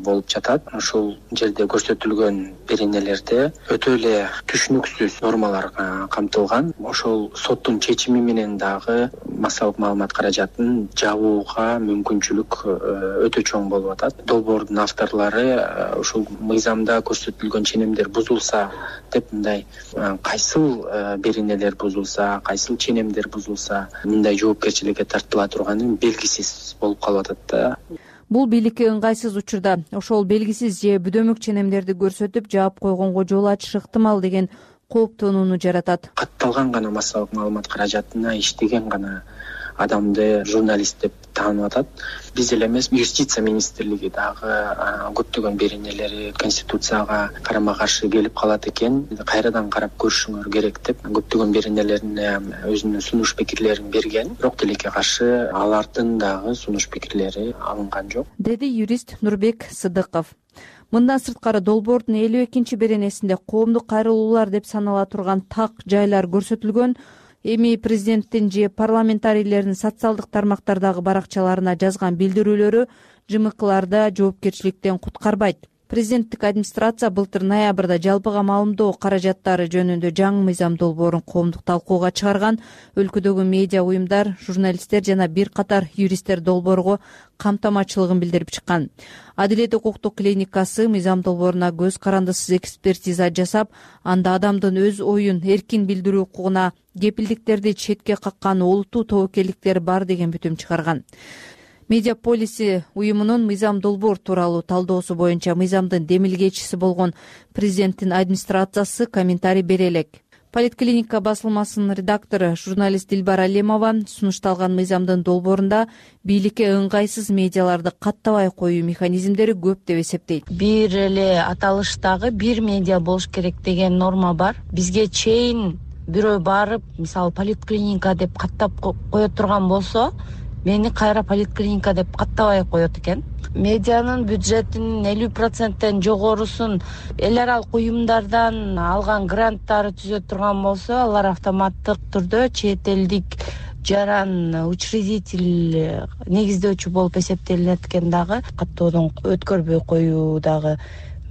болуп жатат. Ушул жерде көрсөтүлгөн беренелерде өтө эле түшүнүксүз нормалар камтылган. Ошол соттун чечими менен дагы массалык маалымат каражатын жабууга мүмкүнчүлүк өтө чоң болуп атат. Долбоордун авторлору ушул мыйзамда көрсөтүлгөн ченемдер бузулса деп мындай кайсыл беренелер бузулса, кайсыл ченемдер бузулса мындай жоопкерчиликке тартыла турганын белгисиз болуп калып атат да. Бул бийликке ыңгайсыз учурда ошол белгисиз же бүдөмөк ченемдерди көрсөтүп жаап койгонго жол ачышы ыктымал деген кооптонууну жаратат. Катталган гана массалык маалымат каражатына иштеген гана адамды журналист деп таанып атат. Биз эле эмес, Юстиция министрлиги дагы көптөгөн беренелери Конституцияга карама-каршы келип калат экен. Кайрадан карап көрүшүңөр керек деп көптөгөн беренелерине өзүнүн сунуш пикирлерин берген. Бирок тилекке каршы алардын дагы сунуш пикирлери алынган жок, деди юрист Нурбек Сыдыков. Мындан сырткары долбоордун 52 беренесинде коомдук кайрылуулар деп санала турган так жайлар көрсөтүлгөн. Эми президенттин же парламентарийлердин социалдык тармактардагы баракчаларына жазган билдирүүлөрү ЖМКларда жоопкерчиликтен куткарбайт. Президенттик администрация былтыр ноябрда жалпыга маалымдоо каражаттары жөнүндө жаңы мыйзам долбоорун коомдук талкууга чыгарган. Өлкөдөгү медиа уюмдар, журналисттер жана бир катар юристтер долбоорго камтамачылыгын билдирип чыккан. Адилет укуктук клиникасы мыйзам долбооруна көз карандысыз экспертиза жасап, анда адамдын өз оюн эркин билдирүү укугуна кепилдиктерди четке каккан олуттуу тобокелдиктер бар деген бүтүм чыгарган. Media Policy уюмунун мыйзам долбоор тууралуу талдоосу боюнча мыйзамдын демилгечиси болгон президенттин администрациясы комментарий бере элек. Политклиника басылмасынын редактору журналист Дилбар Алемова сунушталган мыйзамдын долбоорунда бийликке ыңгайсыз медиаларды каттабай коюу механизмдери көп деп эсептейт. Бир эле аталыштагы бир медиа болуш керек деген норма бар. Бизге чейин бирөө барып, мисалы политклиника деп каттап кое турган болсо, мени кайра политклиника деп каттабай коет экен. Медианын бюджетинин 50%тен жогорусун эл аралык уюмдардан алган гранттары түзө турган болсо, алар автоматтык түрдө чет элдик жаран учредитель негиздөөчү болуп эсептелинет экен. Дагы каттоодон өткөрбөй коюу дагы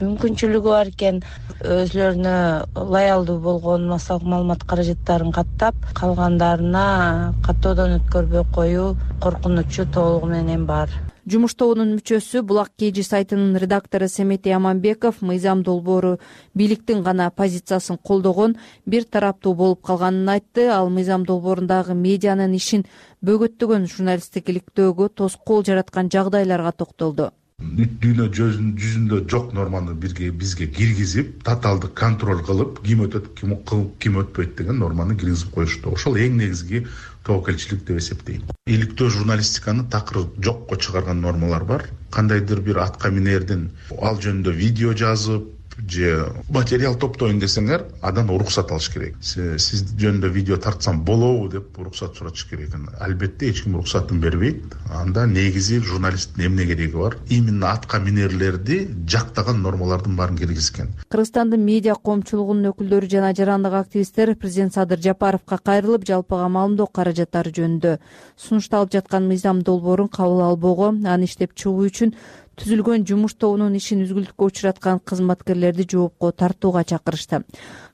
мүмкүнчүлүгү бар экен. Өзлөрүнө лоялдуу болгон массалык маалымат каражаттарын каттап, калгандарына каттоодон өткөрбөй коюу коркунучу толугу менен бар. Жумуш тобунун мүчөсү Булак Кежи сайтынын редактору Семетей Аманбеков мыйзам долбоору бийликтин гана позициясын колдогон, бир тараптуу болуп калганын айтты. Ал мыйзам долбоорундагы медианын ишин бөгөттөгөн журналисттиктөөгө тоскоол жараткан жагдайларга токтолду. Дүйнө жүзүндө жок норманы бизге киргизип, татаалдык контроль кылып, ким өтөт, ким өтпөйт деген норманы киргизип коюшту. Ошол эң негизги тобокелчилик деп эсептейм. Иликтөө журналистиканы такыр жокко чыгарган нормалар бар. Кандайдыр бир атка минердин ал жөнүндө видео жазып, же материал топтойн десеңер, андан уруксат алыш керек. Сиз жөнүндө видео тартсам болобу деп уруксат сураш керек. Албетте эч ким уруксатын бербейт. Анда негизи журналисттин эмне кереги бар? Именно атка минерлерди жактаган нормалардын баарын киргизген. Кыргызстандын медиа коомчулугунун өкүлдөрү жана жарандык активисттер президент Садыр Жапаровго кайрылып, жалпыга маалымдоо каражаттары жөнүндө сунушталып жаткан мыйзам долбоорун кабыл албоого, аны иштеп чыгуу үчүн түзүлгөн жумуш тобунун ишин үзгүлтүккө учураткан кызматкерлерди жоопко тартууга чакырышты.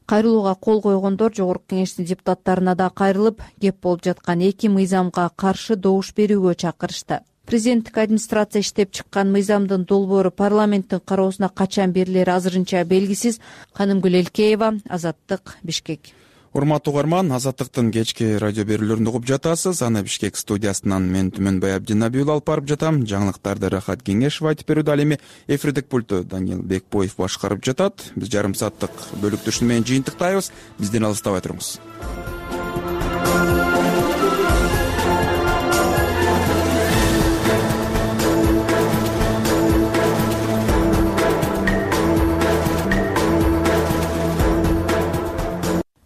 Кайрылууга кол койгондор Жогорку Кеңештин депутаттарына да кайрылып, кеп болуп жаткан эки мыйзамга каршы добуш берүүгө чакырышты. Президенттик администрация иштеп чыккан мыйзамдын долбоору парламенттин кароосуна качан берилери азырынча белгисиз. Канымгүл Элкеева, Азаттык, Бишкек. Урматтуу угарман, Азаттыктын кечки радио берүүлөрүн угуп жатасыз. Аны Бишкек студиясынан мен Түмөнбай Абдинабиұлы алып барып жатам. Жаңылыктарды Рахат Кеңешова айтып берүүдө, ал эми эфирдик пульту Даниил Бекбоев башкарып жатат. Биз жарым сааттык бөлүктүшүн менен жыйынтыктайбыз. Бизден алыстабай туруңуз.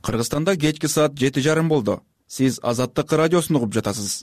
Кыргызстанда кечки саат 7:30 болду. Сиз Азаттык радиосун угуп жатасыз.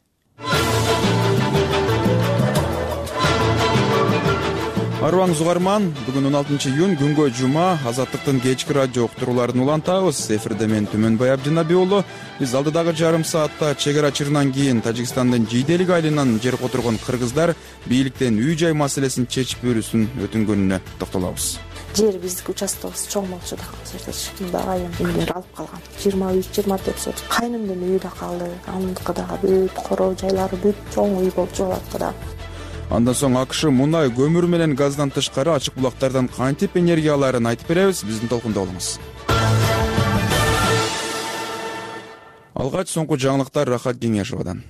Арыбаңыз угарман, бүгүн 16 июнь күнгө жума. Азаттыктын кечки радио уктурууларын улантабыз. Эфирде мен Түмөнбай Абдинабиұлы. Биз алдыдагы жарым саатта чек ара чырынан кийин Тажикстандын Жийделик айылынан жер которгон кыргыздар бийликтен үй-жай маселесин чечип берүүсүн өтүнгөнүнө токтолобуз. Жер биздики участогубуз чоң болчу да, жерде айым үйлөр алып калган. 23-24 сот. Кайнымдын үйү да калды. Анындыкы дагы бүт короо жайлары бүт чоң үй болуп жолатты да. Андан соң АКШ мунай, көмүр менен газдан тышкары ачык булактардан кантип энергия алаарын айтып беребиз. Биздин толкунда болуңуз. Алгач соңку жаңылыктар Рахат Кеңешовадан.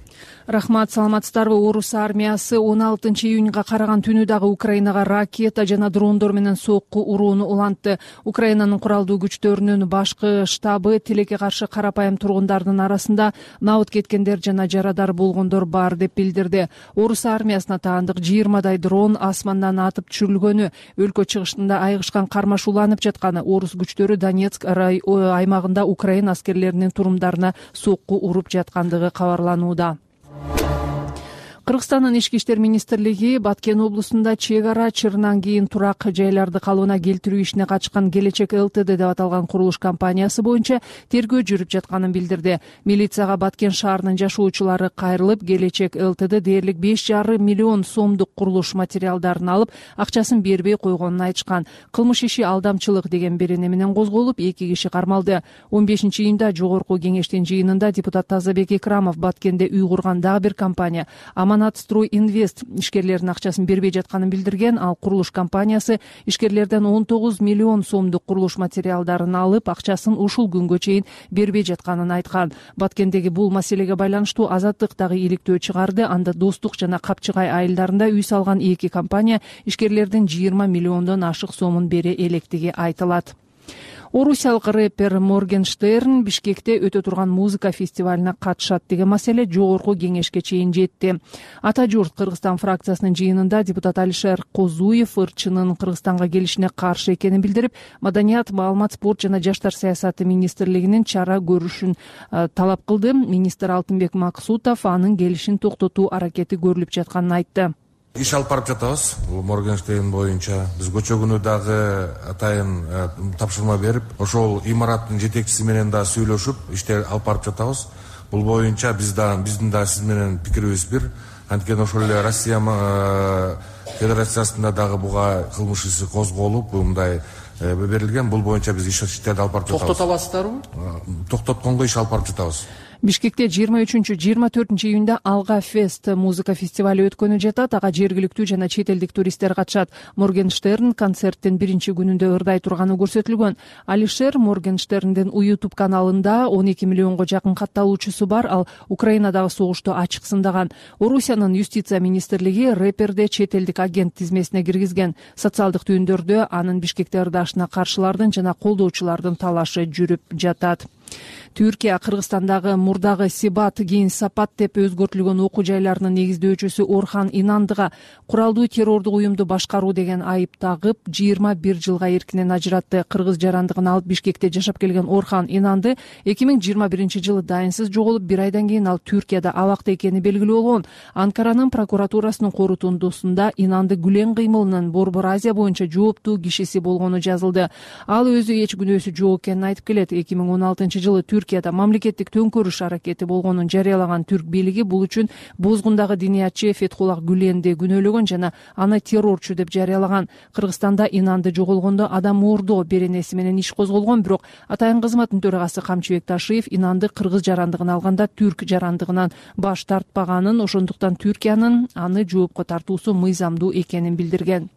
Рахмат, саламатсыздарбы? Орус армиясы 16 июнга караган түнү дагы Украинага ракета жана дрондор менен сокку урууну улантты. Украинанын куралдуу күчтөрүнүн башкы штабы тилекке каршы карапайым тургундардын арасында набыт кеткендер жана жарадар болгондор бар деп билдирди. Орус армиясына таандык 20дай дрон асмандан атып түшүрүлгөнү, өлкө чыгышында айыгышкан кармаш уланып жатканы, орус күчтөрү Донецк аймагында Украина аскерлеринин турумдарына сокку уруп жаткандыгы кабарланууда. Кыргызстандын Ички иштер министрлиги Баткен облусунда чек ара чырынан кийин турак жайларды калыбына келтирүү ишине катышкан Келечек ЛТД деп аталган курулуш компаниясы боюнча тергөө жүрүп жатканын билдирди. Милицияга Баткен шаарынын жашоочулары кайрылып, Келечек ЛТД дээрлик 5,5 миллион сомдук курулуш материалдарын алып, акчасын бербей койгонун айтышкан. Кылмыш иши алдамчылык деген берене менен козголуп, 2 киши кармалды. 15 июнда Жогорку Кеңештин жыйынында депутат Тазабек Икрамов Баткенде үй курган дагы бир компания Аманатстрой Инвест ишкерлердин акчасын бербей жатканын билдирген. Ал курулуш компаниясы ишкерлерден 19 миллион сомдук курулуш материалдарын алып, акчасын ушул күнгө чейин бербей жатканын айткан. Баткендеги бул маселеге байланыштуу Азаттык дагы иликтөө чыгарды. Анда Достук жана Капчыгай айылдарында үй салган 2 компания ишкерлердин 20 миллиондон ашык сомун бере электиги айтылат. Орусиялык рэпер Моргенштерн Бишкекте өтө турган музыка фестивалына катышат деген маселе Жогорку Кеңешке чейин жетти. Ата журт Кыргызстан фракциясынын жыйынында депутат Алишер Козуев ырчынын Кыргызстанга келишине каршы экенин билдирип, Маданият, маалымат, спорт жана жаштар саясаты министрлигинин чара көрүшүн талап кылды. Министр Алтынбек Максутов анын келишин токтотуу аракети көрүлүп жатканын айтты. Иш алып барып жатабыз. Бул Моргенштерн боюнча биз көчө күнү дагы атайын тапшырма берип, ошол имараттын жетекчиси менен да сүйлөшүп, иштер алып барып жатабыз. Бул боюнча биздин да сиз менен пикирибиз бир. Анткени ошол эле Россия Федерациясында дагы буга кылмыш иши козголуп, мындай берилген. Бул боюнча биз иштерди алып барып жатабыз. Токтотобуздарбы? Токтотконго иш алып барып жатабыз. Бишкекте 23-24 июнда Алга Фест музыка фестивали өткөнү жатат. Ага жергиликтүү жана чет элдик туристтер катышат. Моргенштерн концерттин биринчи күнүндө ырдай турганы көрсөтүлгөн. Алишер Моргенштерндин YouTube каналында 12 миллионго жакын катталуучусу бар. Ал Украинадагы согушту ачык сындаган. Орусиянын юстиция министрлиги рэперде чет элдик агент тизмесине киргизген. Социалдык түйүндөрдө анын Бишкекте ырдашына каршылардын жана колдоочулардын талашы жүрүп жатат. Түркия Кыргызстандагы мурдагы Сибат кийин Сапат деп өзгөртүлгөн окуу жайларынын негиздөөчүсү Орхан Инандыга куралдуу террордук уюмду башкаруу деген айып тагып 21 жылга эркинен ажыратты. Кыргыз жарандыгын алып Бишкекте жашап келген Орхан Инанды 2021-жылы дайынсыз жоголуп, бир айдан кийин ал Түркияда абакта экени белгилүү болгон. Анкаранын прокуратурасынын корутундусунда Инанды Гүлен кыймылынын Борбор Азия боюнча жооптуу кишиси болгону жазылды. Ал өзү эч күнөөсү жок экенин айтып келет. 2016-жылы Түркияда мамлекеттик төңкөрүш аракети болгонун жарыялаган түрк бийлиги бул үчүн бозгундагы диниятчы Фетхуллах Гүленди күнөөлөгөн жана аны террорчу деп жарыялаган. Кыргызстанда Инанды жоголгондо адам оордоо беренеси менен иш козголгон, бирок атайын кызматтын төрагасы Камчыбек Ташиев Инанды кыргыз жарандыгын алганда түрк жарандыгынан баш тартпаганын, ошондуктан Түркиянын аны жоопко тартуусу мыйзамдуу экенин билдирген.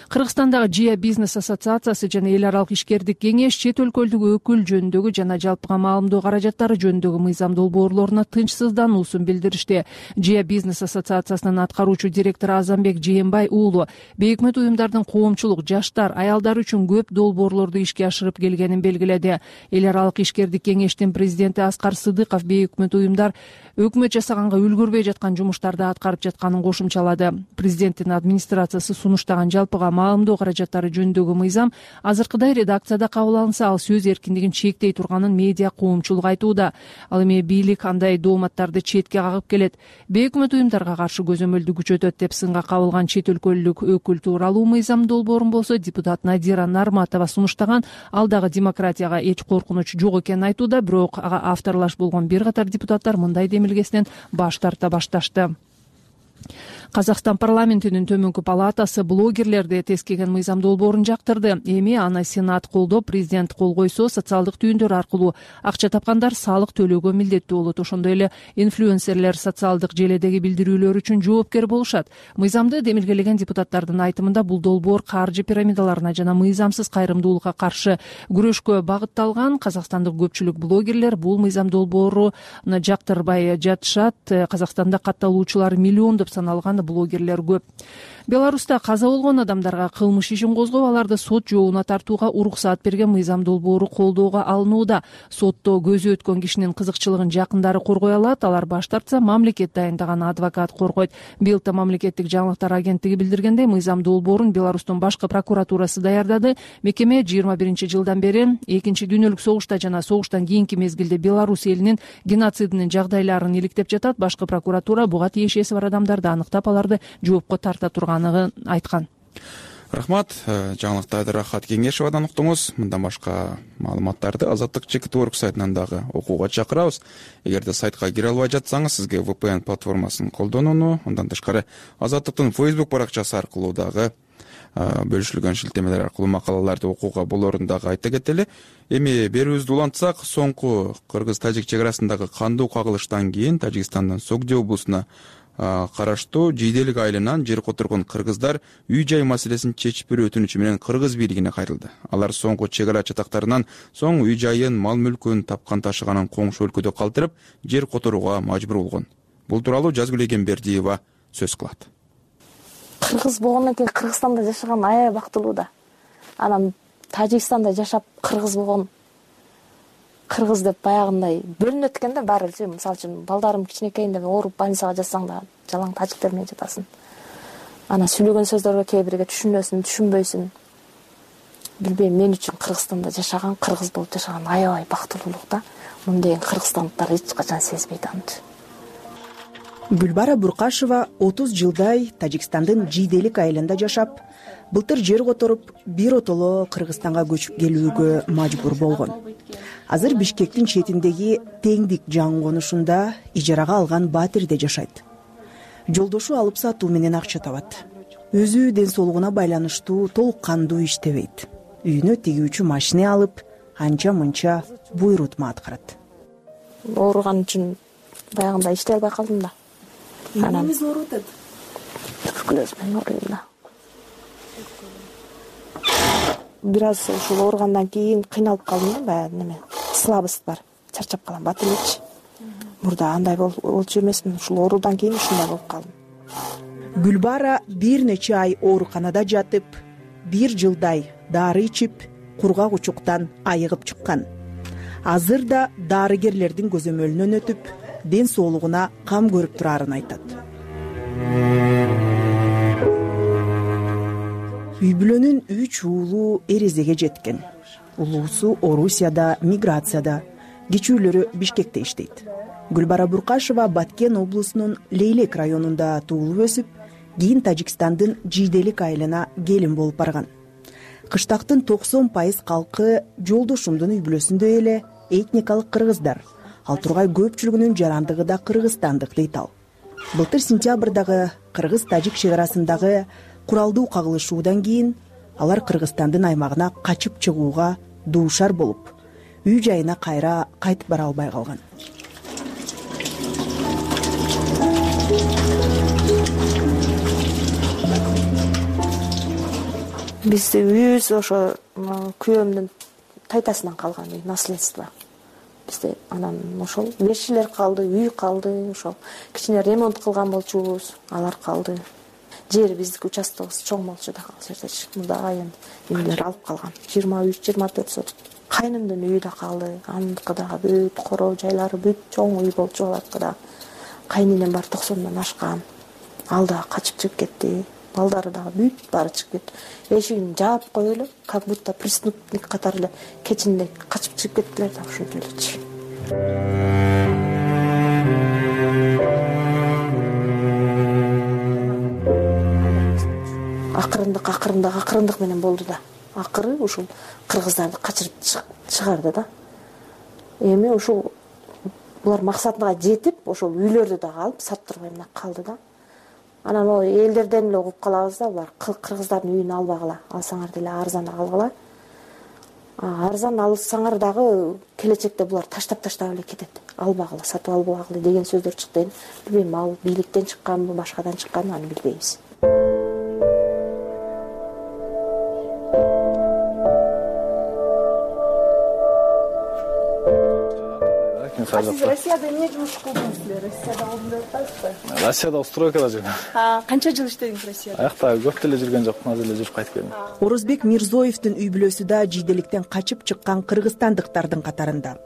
Кыргызстандагы Жия бизнес ассоциациясы жана эл аралык ишкердик кеңеш чет өлкөлүк өкүл жөнүндөгү жана жалпыга маалымдоо каражаттары жөнүндөгү мыйзам долбоорлоруна тынчсыздануусун билдиришти. Жия бизнес ассоциациясынын аткаруучу директору Азамбек Жээнбай уулу бейөкмөт уюмдардын коомчулук, жаштар, аялдар үчүн көп долбоорлорду ишке ашырып келгенин белгиледи. Эл аралык ишкердик кеңештин президенти Аскар Сыдыков бейөкмөт уюмдар өкмөт жасаганга үлгүрбөй жаткан жумуштарды аткарып жатканын кошумчалады. Президенттин администрациясы сунуштаган жалпыга маалымдоо каражаттары жөнүндөгү мыйзам азыркыдай редакцияда кабыл алынса, ал сөз эркиндигин чектей турганын медиа коомчулук айтууда. Ал эми бийлик андай дооматтарды четке кагып келет. Бейөкмөт уюмдарга каршы көзөмөлдү күчөтөт деп сынга кабылган чет өлкөлүк өкүл тууралуу мыйзам долбоорун болсо депутат Надира Нарматова сунуштаган. Ал дагы демократияга эч коркунуч жок экенин айтууда, бирок ага авторлаш болгон бир катар депутаттар мындай демилгесинен баш тарта башташты. Казакстан парламентинин төмөнкү палатасы блогерлерди тескеген мыйзам долбоорун жактырды. Эми аны Сенат колдоп, президент кол койсо, социалдык түйүндөр аркылуу акча тапкандар салык төлөөгө милдеттүү болот. Ошондой эле инфлюенсерлер социалдык желедеги билдирүүлөр үчүн жоопкер болушат. Мыйзамды демилгелеген депутаттардын айтымында бул долбоор каржы пирамидаларына жана мыйзамсыз кайрымдуулукка каршы күрөшкө багытталган. Казакстандык көпчүлүк блогерлер бул мыйзам долбооруну жактырбай жатышат. Казакстанда катталуучулары миллиондоп саналган блогерлер көп. Беларуста каза болгон адамдарга кылмыш ишин козгоп, аларды сот жообуна тартууга уруксаат берген мыйзам долбоору колдоого алынууда. Сотто көзү өткөн кишинин кызыкчылыгын жакындары коргой алат. Алар баш тартса, мамлекет дайындаган адвокат коргойт. Быйылда мамлекеттик жаңылыктар агенттиги билдиргендей, мыйзам долбоорун Беларустун башкы прокуратурасы даярдады. Мекеме 21-жылдан бери Экинчи дүйнөлүк согушта жана согуштан кийинки мезгилде Беларусь элинин геноцидинин жагдайларын иликтеп жатат. Башкы прокуратура буга тиешеси бар адамдарды аныктап, аларды жоопко тарта турганын айткан. Рахмат. Жаңылыкты Рахат Кеңешевадан уктуңуз. Мындан башка маалыматтарды Азаттык Чекитворк сайтынан дагы окууга чакырабыз. Эгерде сайтка кире албай жатсаңыз, сизге VPN платформасын колдонууну, андан тышкары Азаттыктын Facebook баракчасы аркылуу дагы бөлүшүлгөн шилтемелер аркылуу макалаларды окууга болорун дагы айта кетели. Эми берүүбүздү улантсак, соңку кыргыз-тажик чек арасындагы кандуу кагылыштан кийин Тажикстандын Согди облусуна караштуу Жийделик айылынан жер которгон кыргыздар үй-жай маселесин чечип берүү өтүнүчү менен кыргыз бийлигине кайрылды. Алар соңку чек ара чатактарынан соң үй-жайын, мал-мүлкүн тапкан ташыганын коңшу өлкөдө калтырып, жер которууга мажбур болгон. Бул тууралуу Жазгүл Эгембердиева сөз кылат. Кыргыз болгондон кийин Кыргызстанда жашаган аябай бактылуу да. Анан Тажикстанда жашап кыргыз болгон, кыргыз деп баягындай бөлүнөт экен да баары эле. Мисалы үчүн балдарым кичинекейинде ооруп больницага жатсаң да жалаң тажиктер менен жатасың. Анан сүйлөгөн сөздөргө кээ бирге түшүнөсүң, түшүнбөйсүң. Билбейм, мен үчүн Кыргызстанда жашаган, кыргыз болуп жашаган аябай бактылуулук да. Мындай кыргызстандыктар эч качан сезбейт аны. Гүлбара Буркашева 30 жылдай Тажикстандын Жийделик айылында жашап, былтыр жер которуп, бир отоло Кыргызстанга көчүп келүүгө мажбур болгон. Азыр Бишкектин четиндеги Теңдик жаңы конушунда ижарага алган батирде жашайт. Жолдошу алып сатуу менен акча табат. Өзү ден соолугуна байланыштуу толук кандуу иштебейт. Үйүнө тигүүчү машина алып, анча-мынча буйрутма аткарат. Ооруган үчүн баягындай иштей албай калдым да. Эмнеңиз ооруп атат? Туберкулез менен ооруйм да. Бир аз ушул ооругандан кийин кыйналып калдым да, баягы неме, слабость бар, чарчап калам, бат элекчи. Мурда андай болчу эмесмин, ушул оорудан кийин ушундай болуп калдым. Гүлбара бир нече ай ооруканада жатып, 1 жылдай дары ичип, кургак учуктан айыгып чыккан. азыр да дарыгерлердин көзөмөлүнөн өтүп ден соолугуна кам көрүп турарын айтат. Үй бүлөнүн 3 уулу эрезеге жеткен. Улуусу Орусияда, миграцияда, кичүүлөрү Бишкекте иштейт. Гүлбара Буркашева Баткен облусунун Лейлек районунда туулуп өсүп, кийин Тажикстандын Жиделик айылына келин болуп барган. Кыштактын 90% калкы жолдошумдун үй бүлөсүндө эле этникалык кыргыздар. Ал тургай көпчүлүгүнүн жарандыгы да кыргызстандык дейт ал. Былтыр сентябрдагы кыргыз-тажик чек арасындагы куралдуу кагылышуудан кийин алар Кыргызстандын аймагына качып чыгууга дуушар болуп, үй жайына кайра кайтып бара албай калган. Биздин үйүбүз ошо күйөөмдүн тайтасынан калган үй, наследство. Бизде анан ошол беришилер калды, үй калды, ошол кичине ремонт кылган болчубуз, алар калды. Жер биздики участогубуз чоң болчу да, ал жерде мурдагы үйлөр алып калган. 23-24 соток. Кайнымдын үйү да калды, аныкы дагы бүт короо жайлары бүт чоң үй болчу алардыкы да. Кайненем бар 90-дан ашкан. Ал да качып чыгып кетти. Балдары дагы бүт баары чыгып кетти. Эшигин жаап коюп эле, как будто преступник катары эле кечинде качып чыгып кеттилер да, ошентип элечи. Акырындык менен болду да. Акыры ушул кыргыздарды качырып чыгарды да. Эми ушул булар максатына жетип, ошол үйлөрдү дагы алып саттырбай мына калды да. Анан о элдерден эле угуп калабыз да, булар кыргыздардын үйүн албагыла, алсаңар деле арзан алгыла. Арзан алсаңар дагы келечекте булар таштап эле кетет. Албагыла, сатып албагыла деген сөздөр чыкты. Билбейм, ал бийликтен чыкканбы, башкадан чыкканбы, аны билбейбиз. Siz Rossiyada эмне жумуш кылдыңыз эле? Россияда болдум деп атасызбы? Россияда стройкада жүргөм. Канча жыл иштедиңиз Россияда? Аякта көп деле жүргөн жокмун, азыр эле жүрүп кайтып келдим. Орозбек Мирзоевдин үй бүлөсү да Жиделиктен качып чыккан кыргызстандыктардын катарында.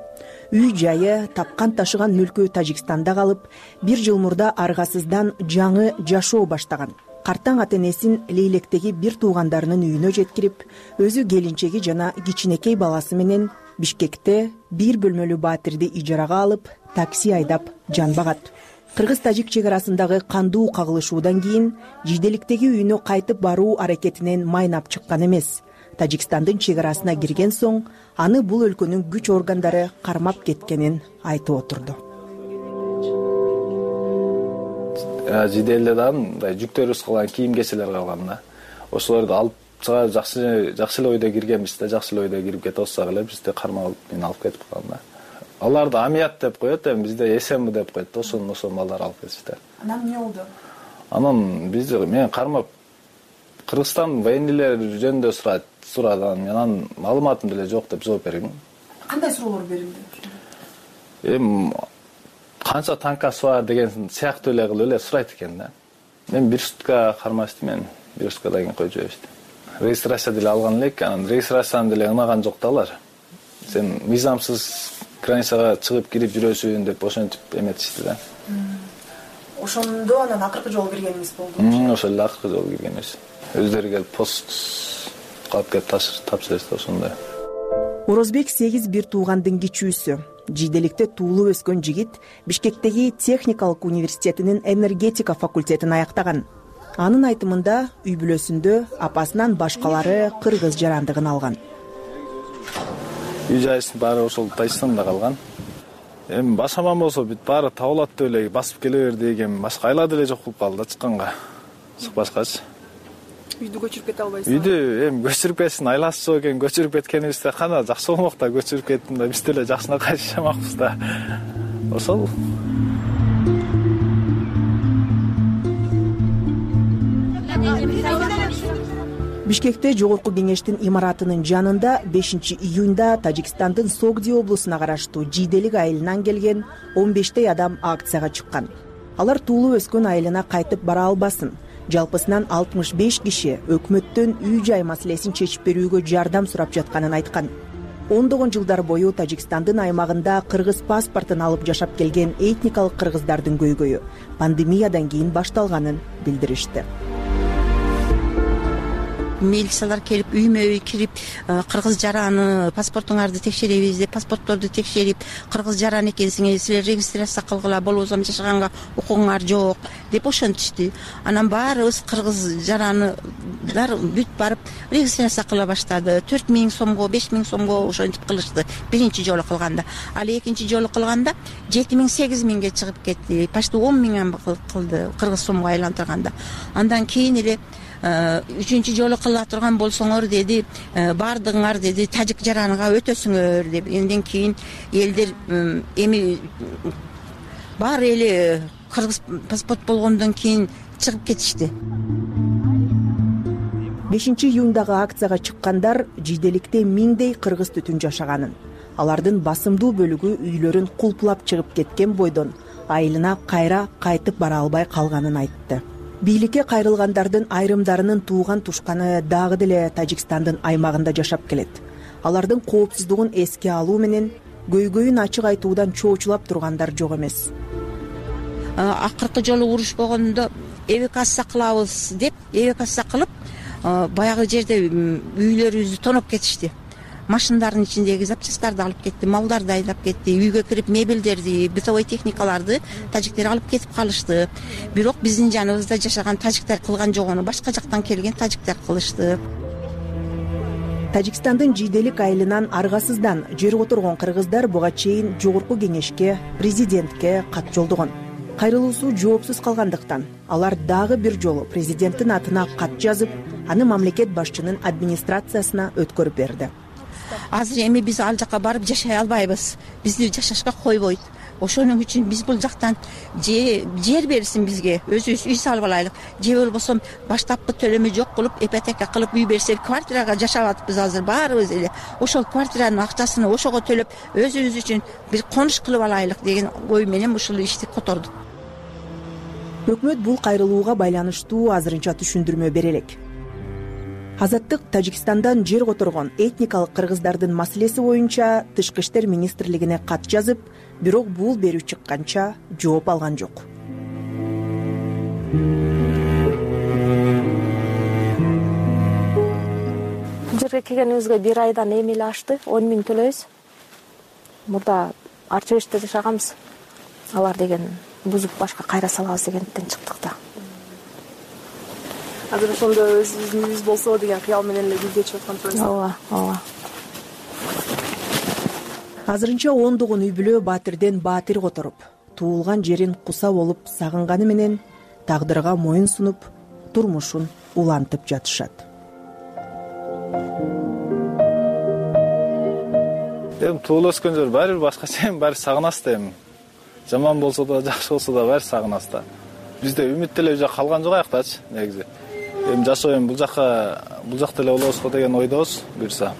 Үй жайы, тапкан ташыган мүлкү Тажикстанда калып, 1 жыл мурда аргасыздан жаңы жашоо баштаган. Картаң ата-энесин Лейлектеги бир туугандарынын үйүнө жеткирип, өзү келинчеги жана кичинекей баласы менен Бишкекте 1 бөлмөлүү батирди ижарага алып, такси айдап жан багат. Кыргыз-тажик чек арасындагы кандуу кагылышуудан кийин Жиделиктеги үйүнө кайтып баруу аракетинен майнап чыккан эмес. Тажикстандын чек арасына кирген соң, аны бул өлкөнүн күч органдары кармап кеткенин айтып отурду. Жиделде да мындай жүктөрүбүз калган кийим-кечелер калган да. Ошолорду алып чыга жакшы эле ойдо киргенбиз да, жакшы эле ойдо кирип кете алсак эле бизди кармап мени алып кетип калган да. Аларды амият деп коет, эми бизде эсенби деп коет да, ошону балдар алып кетишти. Анан эмне болду? Анан бизди мен кармап Кыргызстан военныйлер жөнүндө сурады, мен анын маалыматым деле жок деп жооп бердим. Кандай суроолор берилди? Эми канча танкасы бар деген сыяктуу эле кылып эле сурайт экен да. Мен 1 сутка кармашты, мен 1 суткадан кийин коюп жиберишти. Регистрация деле алган элек, анан регистрацияны деле ынаган жок да алар. Сен мыйзамсыз границага чыгып кирип жүрөсүң деп ошентип эметишти да. Ошондо анан акыркы жолу киргениңиз болду. Ошол эле акыркы жолу киргенбиз. Өздөрү келип пост калып кетип тапшырышты ошондой. Орозбек 8 бир туугандын кичүүсү. Жиделикте туулуп өскөн жигит Бишкектеги техникалык университетинин энергетика факультетин аяктаган. Анын айтымында үй бүлөсүндө апасынан башкалары кыргыз жарандыгын алган. Үй жайысын баары ошол Тажикстанда калган. Эми башаман болсо бүт баары табылат деп эле басып келе бер деген башка айла деле жок болуп калды да чыкканга. Чыкпашкачы. Үйдү көчүрүп кете албайсызбы? Үйдү эми көчүрүп кетсин, айласы жок экен, көчүрүп кеткенибизде кана жакшы болмок да, көчүрүп кеттим да, биз деле жакшына кайтышамакпыз да. Ошол. Бишкекте Жогорку кеңештин имаратынын жанында 5 июнда Тажикстандын Согди облусуна караштуу Жиделик айылынан келген 15 адам акцияга чыккан. Алар туулуп өскөн айылына кайтып бара албасын, жалпысынан 65 киши өкмөттөн үй жай маселесин чечип берүүгө жардам сурап жатканын айткан. ондогон жылдар бою Тажикстандын аймагында кыргыз паспортун алып жашап келген этникалык кыргыздардын көйгөйү пандемиядан кийин башталганын билдиришти. Милициялар келип үймө үй кирип кыргыз жараны паспортуңарды текшеребиз деп паспортторду текшерип кыргыз жаран экенсиңер силер регистрация кылгыла болбосо жашаганга укугуңар жок деп ошентишти. Анан баарыбыз кыргыз жаранылар бүт барып регистрация кыла баштады. 4000 сомго 5000 сомго ошентип кылышты биринчи жолу кылганда. Ал экинчи жолу кылганда 7000-8000ге чыгып кетти. Почти 10 000 кылды кыргыз сомго айлантырганда. Андан кийин эле үчүнчү жолу кыла турган болсоңор деди, баардыгыңар деди тажик жараныга өтөсүңөр деп. Энден кийин элдер эми баары эле кыргыз паспорт болгондон кийин чыгып кетишти. 5-июндагы акцияга чыккандар жийделикте миңдей кыргыз түтүн жашаганын, алардын басымдуу бөлүгү үйлөрүн кулпулап чыгып кеткен бойдон айылына кайра кайтып бара албай калганын айтты. Бийликке кайрылгандардын айрымдарынын тууган тушканы дагы деле Тажикстандын аймагында жашап келет. Алардын коопсуздугун эске алуу менен көйгөйүн ачык айтуудан чоочулап тургандар жок эмес. Акыркы жолу уруш болгондо эвакуация кылабыз деп эвакуация кылып баягы жерде үйлөрүбүздү тоноп кетишти. Машиналардын ичиндеги запчасттарды алып кетти, малдарды айдап кетти, үйгө кирип мебелдерди, бытовой техникаларды тажиктер алып кетип калышты. Бирок биздин жаныбызда жашаган тажиктер кылган жок, аны башка жактан келген тажиктер кылышты. Тажикстандын жийделик айылынан аргасыздан жерге отургон кыргыздар буга чейин жогорку кеңешке, президентке кат жолдогон. Кайрылуусу жоопсуз калгандыктан алар дагы бир жолу президенттин атына кат жазып, аны мамлекет башчынын администрациясына өткөрүп берди. Азыр эми биз ал жака барып жашай албайбыз. Бизди жашашка койбойт. Ошонун үчүн биз бул жактан жер берсин бизге, өзүбүз үй салып алайлык. Же болбосо баштапкы төлөмү жок кылып, ипотека кылып үй берсе, квартирага жашап атпыз азыр баарыбыз эле. Ошол квартиранын акчасын ошого төлөп, өзүбүз үчүн бир конуш кылып алайлык деген ой менен ушул ишти котордук. Өкмөт бул кайрылууга байланыштуу азырынча түшүндүрмө бере элек. Азаттык Тажикстандан жер которгон этникалык кыргыздардын маселеси боюнча Тышкы иштер министрлигине кат жазып, бирок бул берүү чыкканча жооп алган жок. Жерге келгенибизге 1 айдан эми эле ашты, 10 000 төлөйбүз. Мурда арчыбеште жашаганбыз. Алар деген бузуп башка кайра салабыз дегенден чыктык да. Азыр ошондо өзүбүздүн үйүбүз болсо деген кыял менен эле бир кечип аткан. Ооба. Азырынча ондогон үй бүлө баатирден баатир которуп, туулган жерин куса болуп сагынганы менен тагдырга моюн сунуп, турмушун улантып жатышат. Эми туулуп өскөн жер баары бир башкача, баары сагынасыз да эми. Жаман болсо да, жакшы болсо да баары сагынасыз да. Бизде үмүт деле уже калган жок аяктачы негизи. Эми жашоо эми бул жакта эле болобузго деген ойдобуз буюрса.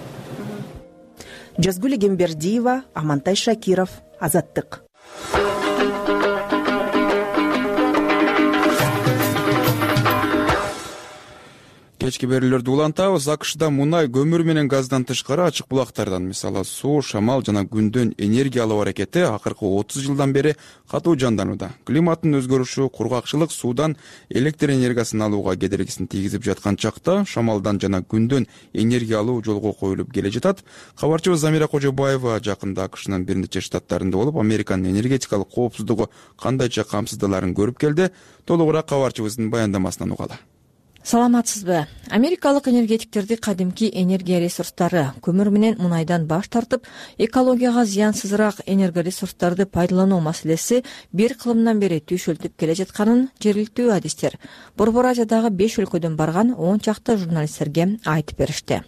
Жазгүл Эгембердиева, Амантай Шакиров, Азаттык. Кечки берүүлөрдү улантабыз. АКШда мунай, көмүр менен газдан тышкары ачык булактардан, мисалы суу, шамал жана күндөн энергия алуу аракети акыркы 30 жылдан бери катуу жанданууда. Климаттын өзгөрүшү кургакчылык суудан электр энергиясын алууга кедергисин тийгизип жаткан чакта шамалдан жана күндөн энергия алуу жолго коюлуп келе жатат. Кабарчыбыз Замира Кожобаева жакында АКШнын бир нече штаттарында болуп, Американын энергетикалык коопсуздугу кандайча камсыздаларын көрүп келди. Толугураак кабарчыбыздын баяндамасынан угалы. Саламатсызбы? Америкалык энергетиктерди кадимки энергия ресурстары, көмүр менен мунайдан баш тартып, экологияга зыянсызыраак энергоресурстарды пайдалануу маселеси бир кылымдан бери түйшөлтүп келе жатканын жергиликтүү адистер Борбор Азиядагы 5 өлкөдөн барган 10 чакты журналисттерге айтып беришти.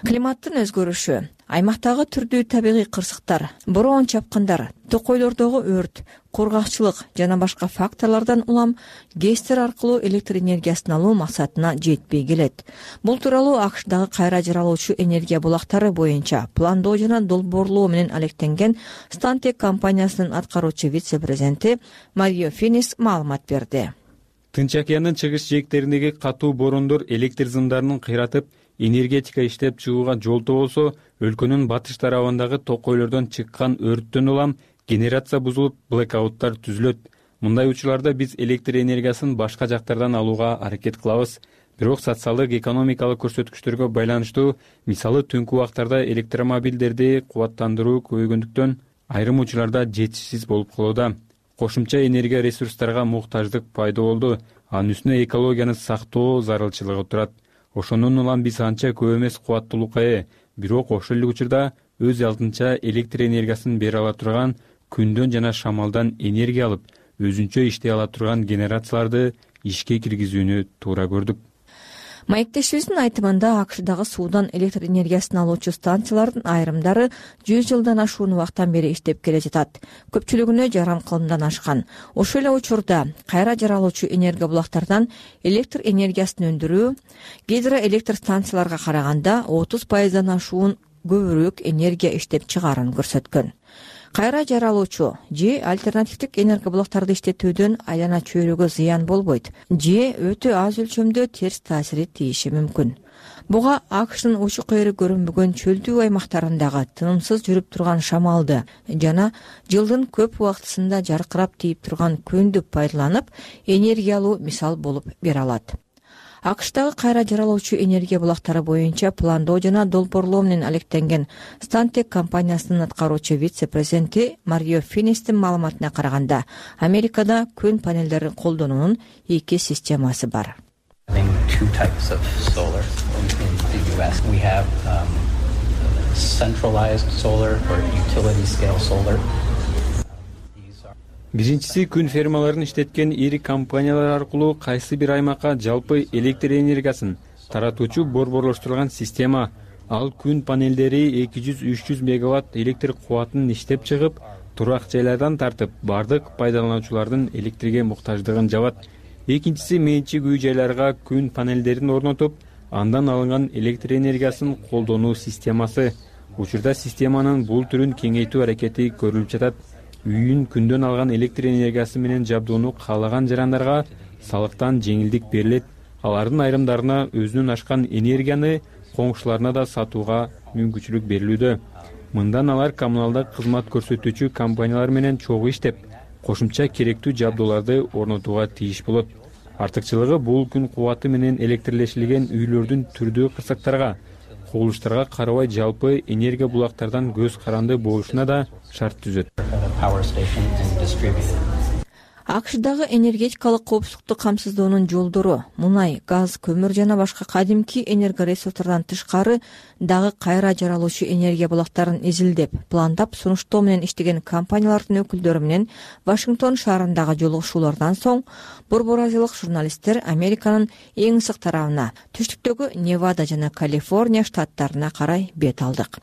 Климаттын өзгөрүшү, аймактагы түрдүү табигый кырсыктар, бороон чапкындар, токойлордогу өрт, кургакчылык жана башка факторлордон улам гэстер аркылуу электр энергиясын алуу максатына жетпей келет. Бул тууралуу АКШдагы кайра жаралуучу энергия булактары боюнча пландоо жана долбоорлоо менен алектенген Stantec компаниясынын аткаруучу вице-президенти Марио Финис маалымат берди. Тынч океандын чыгыш жээктериндеги катуу бороондор электр зымдарынын кыйратып, энергетика иштеп чыгууга жолтоо болсо, өлкөнүн батыш тарабындагы токойлордон чыккан өрттөн улам генерация бузулуп, блэкауттар түзүлөт. Мындай учурларда биз электр энергиясын башка жактардан алууга аракет кылабыз. Бирок социалдык экономикалык көрсөткүчтөргө байланыштуу, мисалы түнкү убактарда электромобилдерди кубаттандыруу көбөйгөндүктөн айрым учурларда жетишсиз болуп калууда. Кошумча энергия ресурстарга муктаждык пайда болду. Анын үстүнө экологияны сактоо зарылчылыгы турат. Ошондон улам биз анча көп эмес кубаттуулукка ээ, бирок ошол эле учурда өз алдынча электр энергиясын бере ала турган, күндөн жана шамалдан энергия алып, өзүнчө иштей ала турган генерацияларды ишке киргизүүнү туура көрдүк. Маектешибиздин айтымында АКШдагы суудан электр энергиясын алуучу станциялардын айрымдары 100 жылдан ашуун убакыттан бери иштеп келе жатат. Көпчүлүгүнө жарым кылымдан ашкан. Ошол эле учурда кайра жаралуучу энергия булактардан электр энергиясын өндүрүү гидроэлектр станцияларга караганда 30% ашуун көбүрөөк энергия иштеп чыгаарын көрсөткөн. Кайра жаралуучу же альтернативдик энергия булактарды иштетүүдөн айлана чөйрөгө зыян болбойт, же өтө аз өлчөмдө терс таасири тийиши мүмкүн. Буга АКШдын учу кайры көрүнбөгөн чөлдүү аймактарындагы тынымсыз жүрүп турган шамалды жана жылдын көп убактысында жаркырап тийип турган күндү пайдаланып, энергия алуу мисал болуп бере алат. АКШдагы кайра жаралуучу энергия булактары боюнча пландоо жана долбоорлоо менен алектенген Stantec компаниясынын аткаруучу вице-президенти Марио Финистин маалыматына караганда, Америкада күн панелдерин колдонуунун 2 системасы бар. Биринчиси күн фермаларын иштеткен ири компаниялар аркылуу кайсы бир аймакка жалпы электр энергиясын таратуучу борборлоштурулган система. Ал күн панелдери 200-300 мегаватт электр кубатын иштеп чыгып, турак жайлардан тартып, бардык пайдалануучулардын электрге муктаждыгын жабат. Экинчиси менчик үй жайларга күн панелдерин орнотуп, андан алынган электр энергиясын колдонуу системасы. Учурда системанын бул түрүн кеңейтүү аракети көрүлүп жатат. Үйүн күндөн алган электр энергиясы менен жабдууну каалаган жарандарга салыктан жеңилдик берилет. Алардын айрымдарына өзүнүн ашкан энергияны коңшуларына да сатууга мүмкүнчүлүк берилүүдө. Мындан алар коммуналдык кызмат көрсөтүүчү компаниялар менен чогуу иштеп, кошумча керектүү жабдууларды орнотууга тийиш болот. Артыкчылыгы бул күн кубаты менен электрлешилген үйлөрдүн түрдүү кырсыктарга, кубулуштарга карабай жалпы энергия булактардан көз каранды болушуна да шарт түзөт. АКШдагы энергетикалык коопсуздукту камсыздоонун жолдору мунай, газ, көмүр жана башка кадимки энергоресурстардан тышкары дагы кайра жаралуучу энергия булактарын изилдеп, пландап, сунуштоо менен иштеген компаниялардын өкүлдөрү менен Вашингтон шаарындагы жолугушуулардан соң борбор азиялык журналисттер Американын эң ысык тарабына, түштүктөгү Невада жана Калифорния штаттарына карай бет алдык.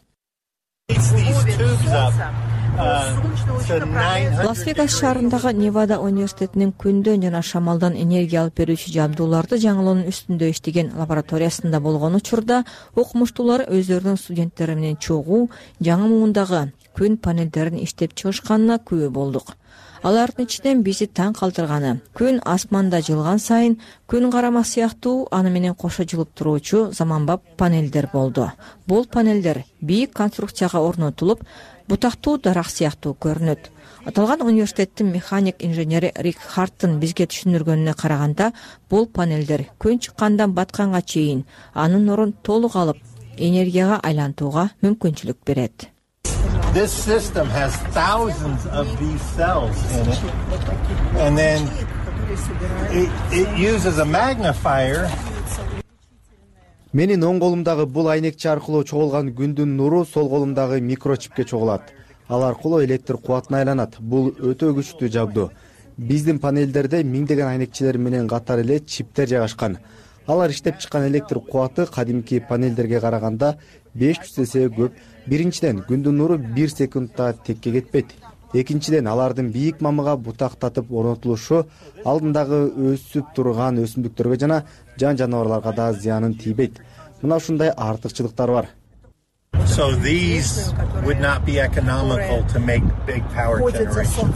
Лас-Вегас шаарындагы Невада университетинин күндөн жана шамалдан энергия алып берүүчү жабдууларды жаңылоонун үстүндө иштеген лабораториясында болгон учурда окумуштуулар өздөрүнүн студенттери менен чогуу жаңы муундагы күн панелдерин иштеп чыгышканына күбө болдук. Алардын ичинен бизи таң калтырганы күн асманда жылган сайын күн карама сыяктуу аны менен кошо жылып туруучу заманбап панелдер болду. Бул панелдер бийик конструкцияга орнотулуп, бутактуу дарак сыяктуу көрүнөт. Аталган университеттин механик инженери Рик Харттын бизге түшүндүргөнүнө караганда, бул панелдер күн чыккандан батканга чейин анын нурун толук алып, энергияга айлантууга мүмкүнчүлүк берет. This system has thousands of these cells in it, and then it uses a magnifier. Менин оң колумдагы бул айнекчи аркылуу чогулган күндүн нуру сол колумдагы микрочипке чогулат. Ал аркылуу электр кубатына айланат. Бул өтө күчтүү жабдуу. Биздин панелдерде миңдеген айнекчилер менен катар эле чиптер жайгашкан. Алар иштеп чыккан электр кубаты кадимки панелдерге караганда 500 эсе көп. Биринчиден, күндүн нуру 1 секундта текке кетпейт. Экинчиден, алардын бийик мамыга бутактатып орнотулушу алдындагы өсүп турган өсүмдүктөргө жана жан жаныбарларга да зыянын тийбейт. Мына ушундай артыкчылыктар бар. So these would not be economical to make big power generation.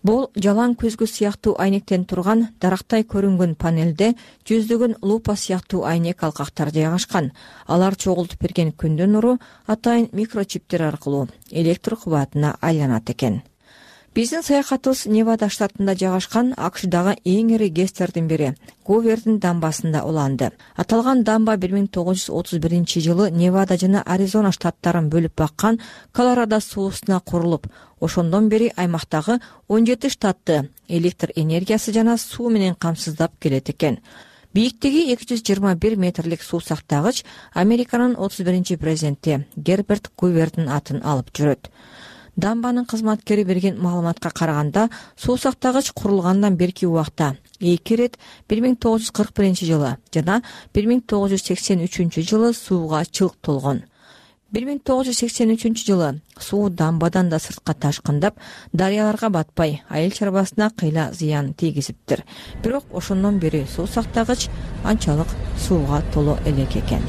Бул жалаң көзгү сыяктуу айнектен турган дарактай көрүнгөн панелде жүздөгөн лупа сыяктуу айнек алкактар жайгашкан. Алар чогултуп берген күндүн нуру атайын микрочиптер аркылуу электр кубатына айланат экен. Биздин саякатыбыз Невада штатында жайгашкан АКШдагы эң ири ГЭСтердин бири Гувердин дамбасында уланды. Аталган дамба 1931-жылы Невада жана Аризона штаттарын бөлүп баккан Колорадо суусуна курулуп, ошондон бери аймактагы 17 штатты электр энергиясы жана суу менен камсыздап келет экен. Бийиктиги 221 метрлик суу сактагыч Американын 31 президенти Герберт Гувердин атын алып жүрөт. Дамбанын кызматкери берген маалыматка караганда, суу сактагыч курулгандан берки убакта 2 рет 1941-жылы жана 1983-жылы сууга чылк толгон. 1983-жылы суу дамбадан да сыртка ташкындап, дарыяларга батпай, айыл чарбасына кыйла зыян тийгизиптир. Бирок ошондон бери суу сактагыч анчалык сууга толо элек экен.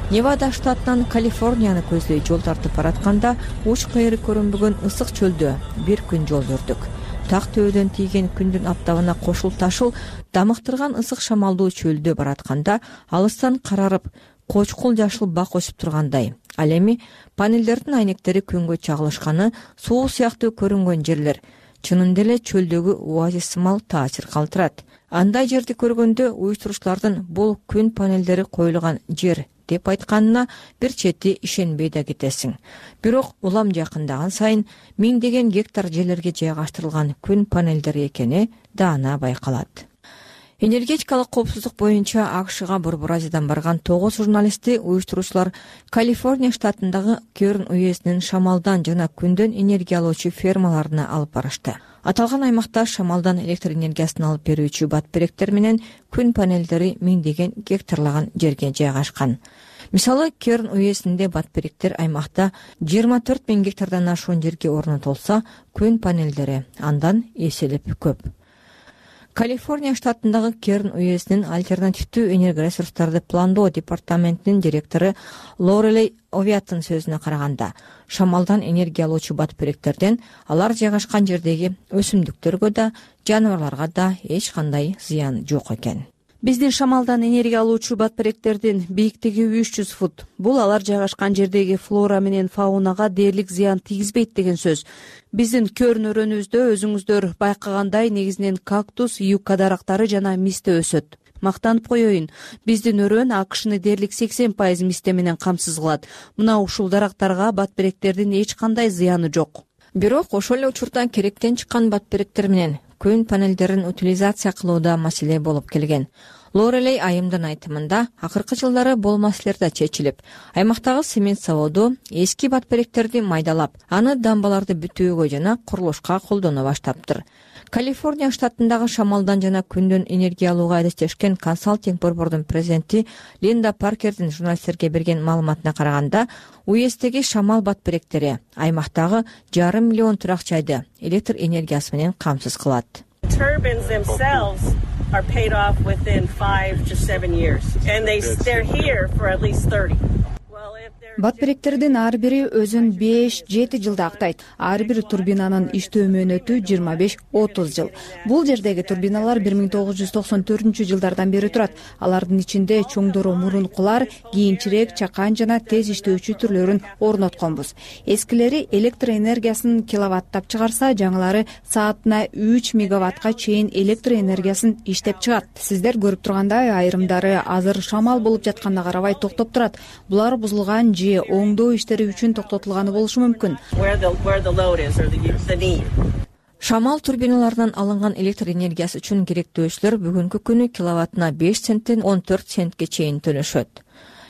Невада штатынан Калифорнияны көздөй жол тартып баратканда, уч кайры көрүнбөгөн ысык чөлдө бир күн жол жүрдүк. Так төбөдөн тийген күндүн аптабына кошул-ташыл дамыктырган ысык шамалдуу чөлдө баратканда, алыстан карарып, кочкул жашыл бак өсүп тургандай. Ал эми панелдердин айнектери күнгө чагылышканы суу сыяктуу көрүнгөн жерлер чынында эле чөлдөгү оазис сымал таасир калтырат. Андай жерди көргөндө уюштуруучулардын бул күн панелдери коюлган жер деп айтканына бир чети ишенбей да кетесиң. Бирок улам жакындаган сайын миңдеген гектар жерлерге жайгаштырылган күн панелдери экени даана байкалат. Энергетикалык коопсуздук боюнча АКШга Борбор Азиядан барган 9 журналистти уюштуруучулар Калифорния штатындагы Керн уездинин шамалдан жана күндөн энергия алуучу фермаларына алып барышты. Аталган аймакта шамалдан электр энергиясын алып берүүчү батберектер менен күн панелдери миңдеген гектарлаган жерге жайгашкан. Мисалы, Керн уездинде батберектер аймакта 24 000 гектардан ашуун жерге орнотулса, күн панелдери андан эселеп көп. Калифорния штатындагы Керн уездинин альтернативдүү энергоресурстарды пландоо департаментинин директору Лорелей Овиаттын сөзүнө караганда, шамалдан энергия алуучу батберектерден алар жайгашкан жердеги өсүмдүктөргө да, жаныбарларга да эч кандай зыян жок экен. Биздин шамалдан энергия алуучу батберектердин бийиктиги 300 фут. Бул алар жайгашкан жердеги флора менен фаунага дээрлик зыян тийгизбейт деген сөз. Биздин Керн өрөөнүбүздө өзүңүздөр байкагандай негизинен кактус, юкка дарактары жана мисте өсөт. Мактанып коеюн, биздин өрөөн АКШны дээрлик 80% мисте менен камсыз кылат. Мына ушул дарактарга батберектердин эч кандай зыяны жок. Бирок ошол эле учурда керектен чыккан батберектер менен күн панелдерин утилизация кылууда маселе болуп келген. Лорелей айымдын айтымында, акыркы жылдары бул маселелер да чечилип, аймактагы цемент заводу эски батберектерди майдалап, аны дамбаларды бүтүүгө жана курулушка колдоно баштаптыр. Калифорния штатындагы шамалдан жана күндөн энергия алууга адестешкен консалтинг борбордун президенти Линда Паркердин журналисттерге берген маалыматына караганда, уезддеги шамал батберектери аймактагы 500 000 турак жайды электр энергиясы менен камсыз кылат. Are paid off within 5 to 7 years, and they're here for at least 30. Батберектердин ар бири өзүн 5-7 жылда актайт. Ар бир турбинанын иштөө мөөнөтү 25-30 жыл. Бул жердеги турбиналар 1994-жылдардан бери турат. Алардын ичинде чоңдору мурункулар, кийинчерээк чакан жана тез иштөөчү түрлөрүн орнотконбуз. Эскилери электр энергиясын киловаттап чыгарса, жаңылары саатына 3 мегаваттка чейин электр энергиясын иштеп чыгат. Сиздер көрүп тургандай, айрымдары азыр шамал болуп жатканына карабай токтоп турат. Булар бузулган же оңдоо иштери үчүн токтотулганы болушу мүмкүн. Шамал турбиналарынан алынган электр энергиясы үчүн керектөөчүлөр бүгүнкү күнү киловаттына 5 центтен 14 центке чейин төлөшөт.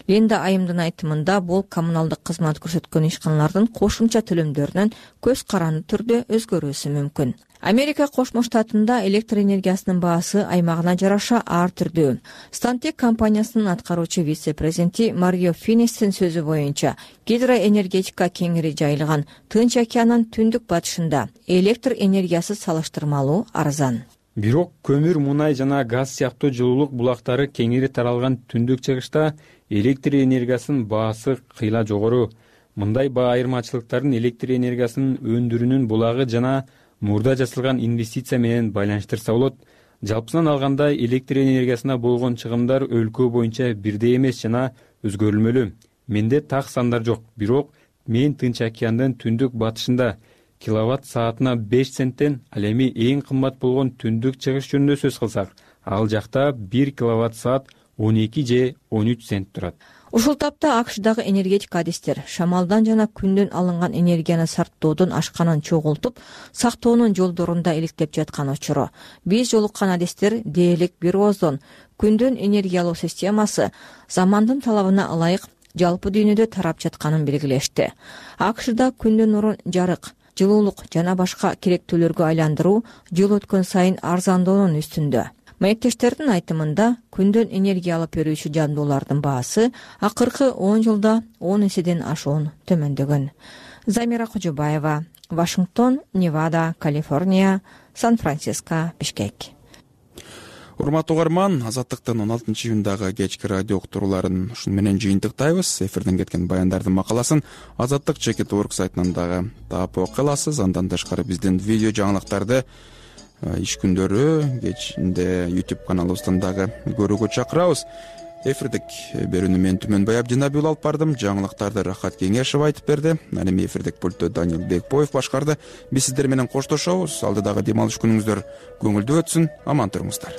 Линда айымдын айтымында, бул коммуналдык кызмат көрсөткөн ишканалардын кошумча төлөмдөрүнөн көз каранды түрдө өзгөрүүсү мүмкүн. Америка Кошмо Штатында электр энергиясынын баасы аймагына жараша ар түрдүү. Stantec компаниясынын аткаруучу вице-президенти Марио Финестин сөзү боюнча, гидроэнергетика кеңири жайылган Тынч океанынын түндүк батышында электр энергиясы салыштырмалуу арзан. Бирок көмүр, мунай жана газ сыяктуу жылуулук булактары кеңири таралган түндүк чыгышта электр энергиясынын баасы кыйла жогору. мындай баа айырмачылыктарын электр энергиясынын өндүрүүнүн булагы жана мурда жасалган инвестиция менен байланыштырса болот. Жалпысынан алганда электр энергиясына болгон чыгымдар өлкө боюнча бирдей эмес жана өзгөрүлмөлүү. Менде так сандар жок, бирок мен Тынч океандын түндүк батышында киловатт саатына 5 центтен, ал эми эң кымбат болгон түндүк чыгыш жөнүндө сөз кылсак, ал жакта 1 киловатт саат 12 же 13 цент турат. Ушул тапта АКШдагы энергетик адистер шамалдан жана күндөн алынган энергияны сарптоодон ашканын чогултуп, сактоонун жолдорунда иликтеп жаткан учуру. Биз жолуккан адистер дээрлик бир ооздон күндөн энергия алуу системасы замандын талабына ылайык жалпы дүйнөдө тарап жатканын белгилешти. АКШда күндөн нурун жарык, жылуулук жана башка керектүүлөргө айландыруу жыл өткөн сайын арзандоонун үстүндө. Маектештердин айтымында күндөн энергия алып берүүчү жабдуулардын баасы акыркы 10 жылда 10 эседен ашуун төмөндөгөн. Замира Кожобаева, Вашингтон, Невада, Калифорния, Сан-Франциско, Бишкек. Урматтуу угарман, Азаттыктын 16-июндагы кечки радио уктурууларын ушун менен жыйынтыктайбыз. Эфирден кеткен баяндардын макаласын Азаттык Чекит.орг сайтынан дагы таап окуй аласыз. Андан тышкары биздин видео жаңылыктарды иш күндөрү кечинде YouTube каналыбыздан дагы көрүүгө чакырабыз. Эфирдик берүүнү мен Түмөнбай Абдинабиул алып бардым. Жаңылыктарды Рахат Кеңешев айтып берди. Аны эми эфирдик пультту Данил Бекбоев башкарды. Биз сиздер менен коштошобуз. Алдыдагы дем алыш күнүңүздөр көңүлдүү өтсүн. Аман туруңуздар.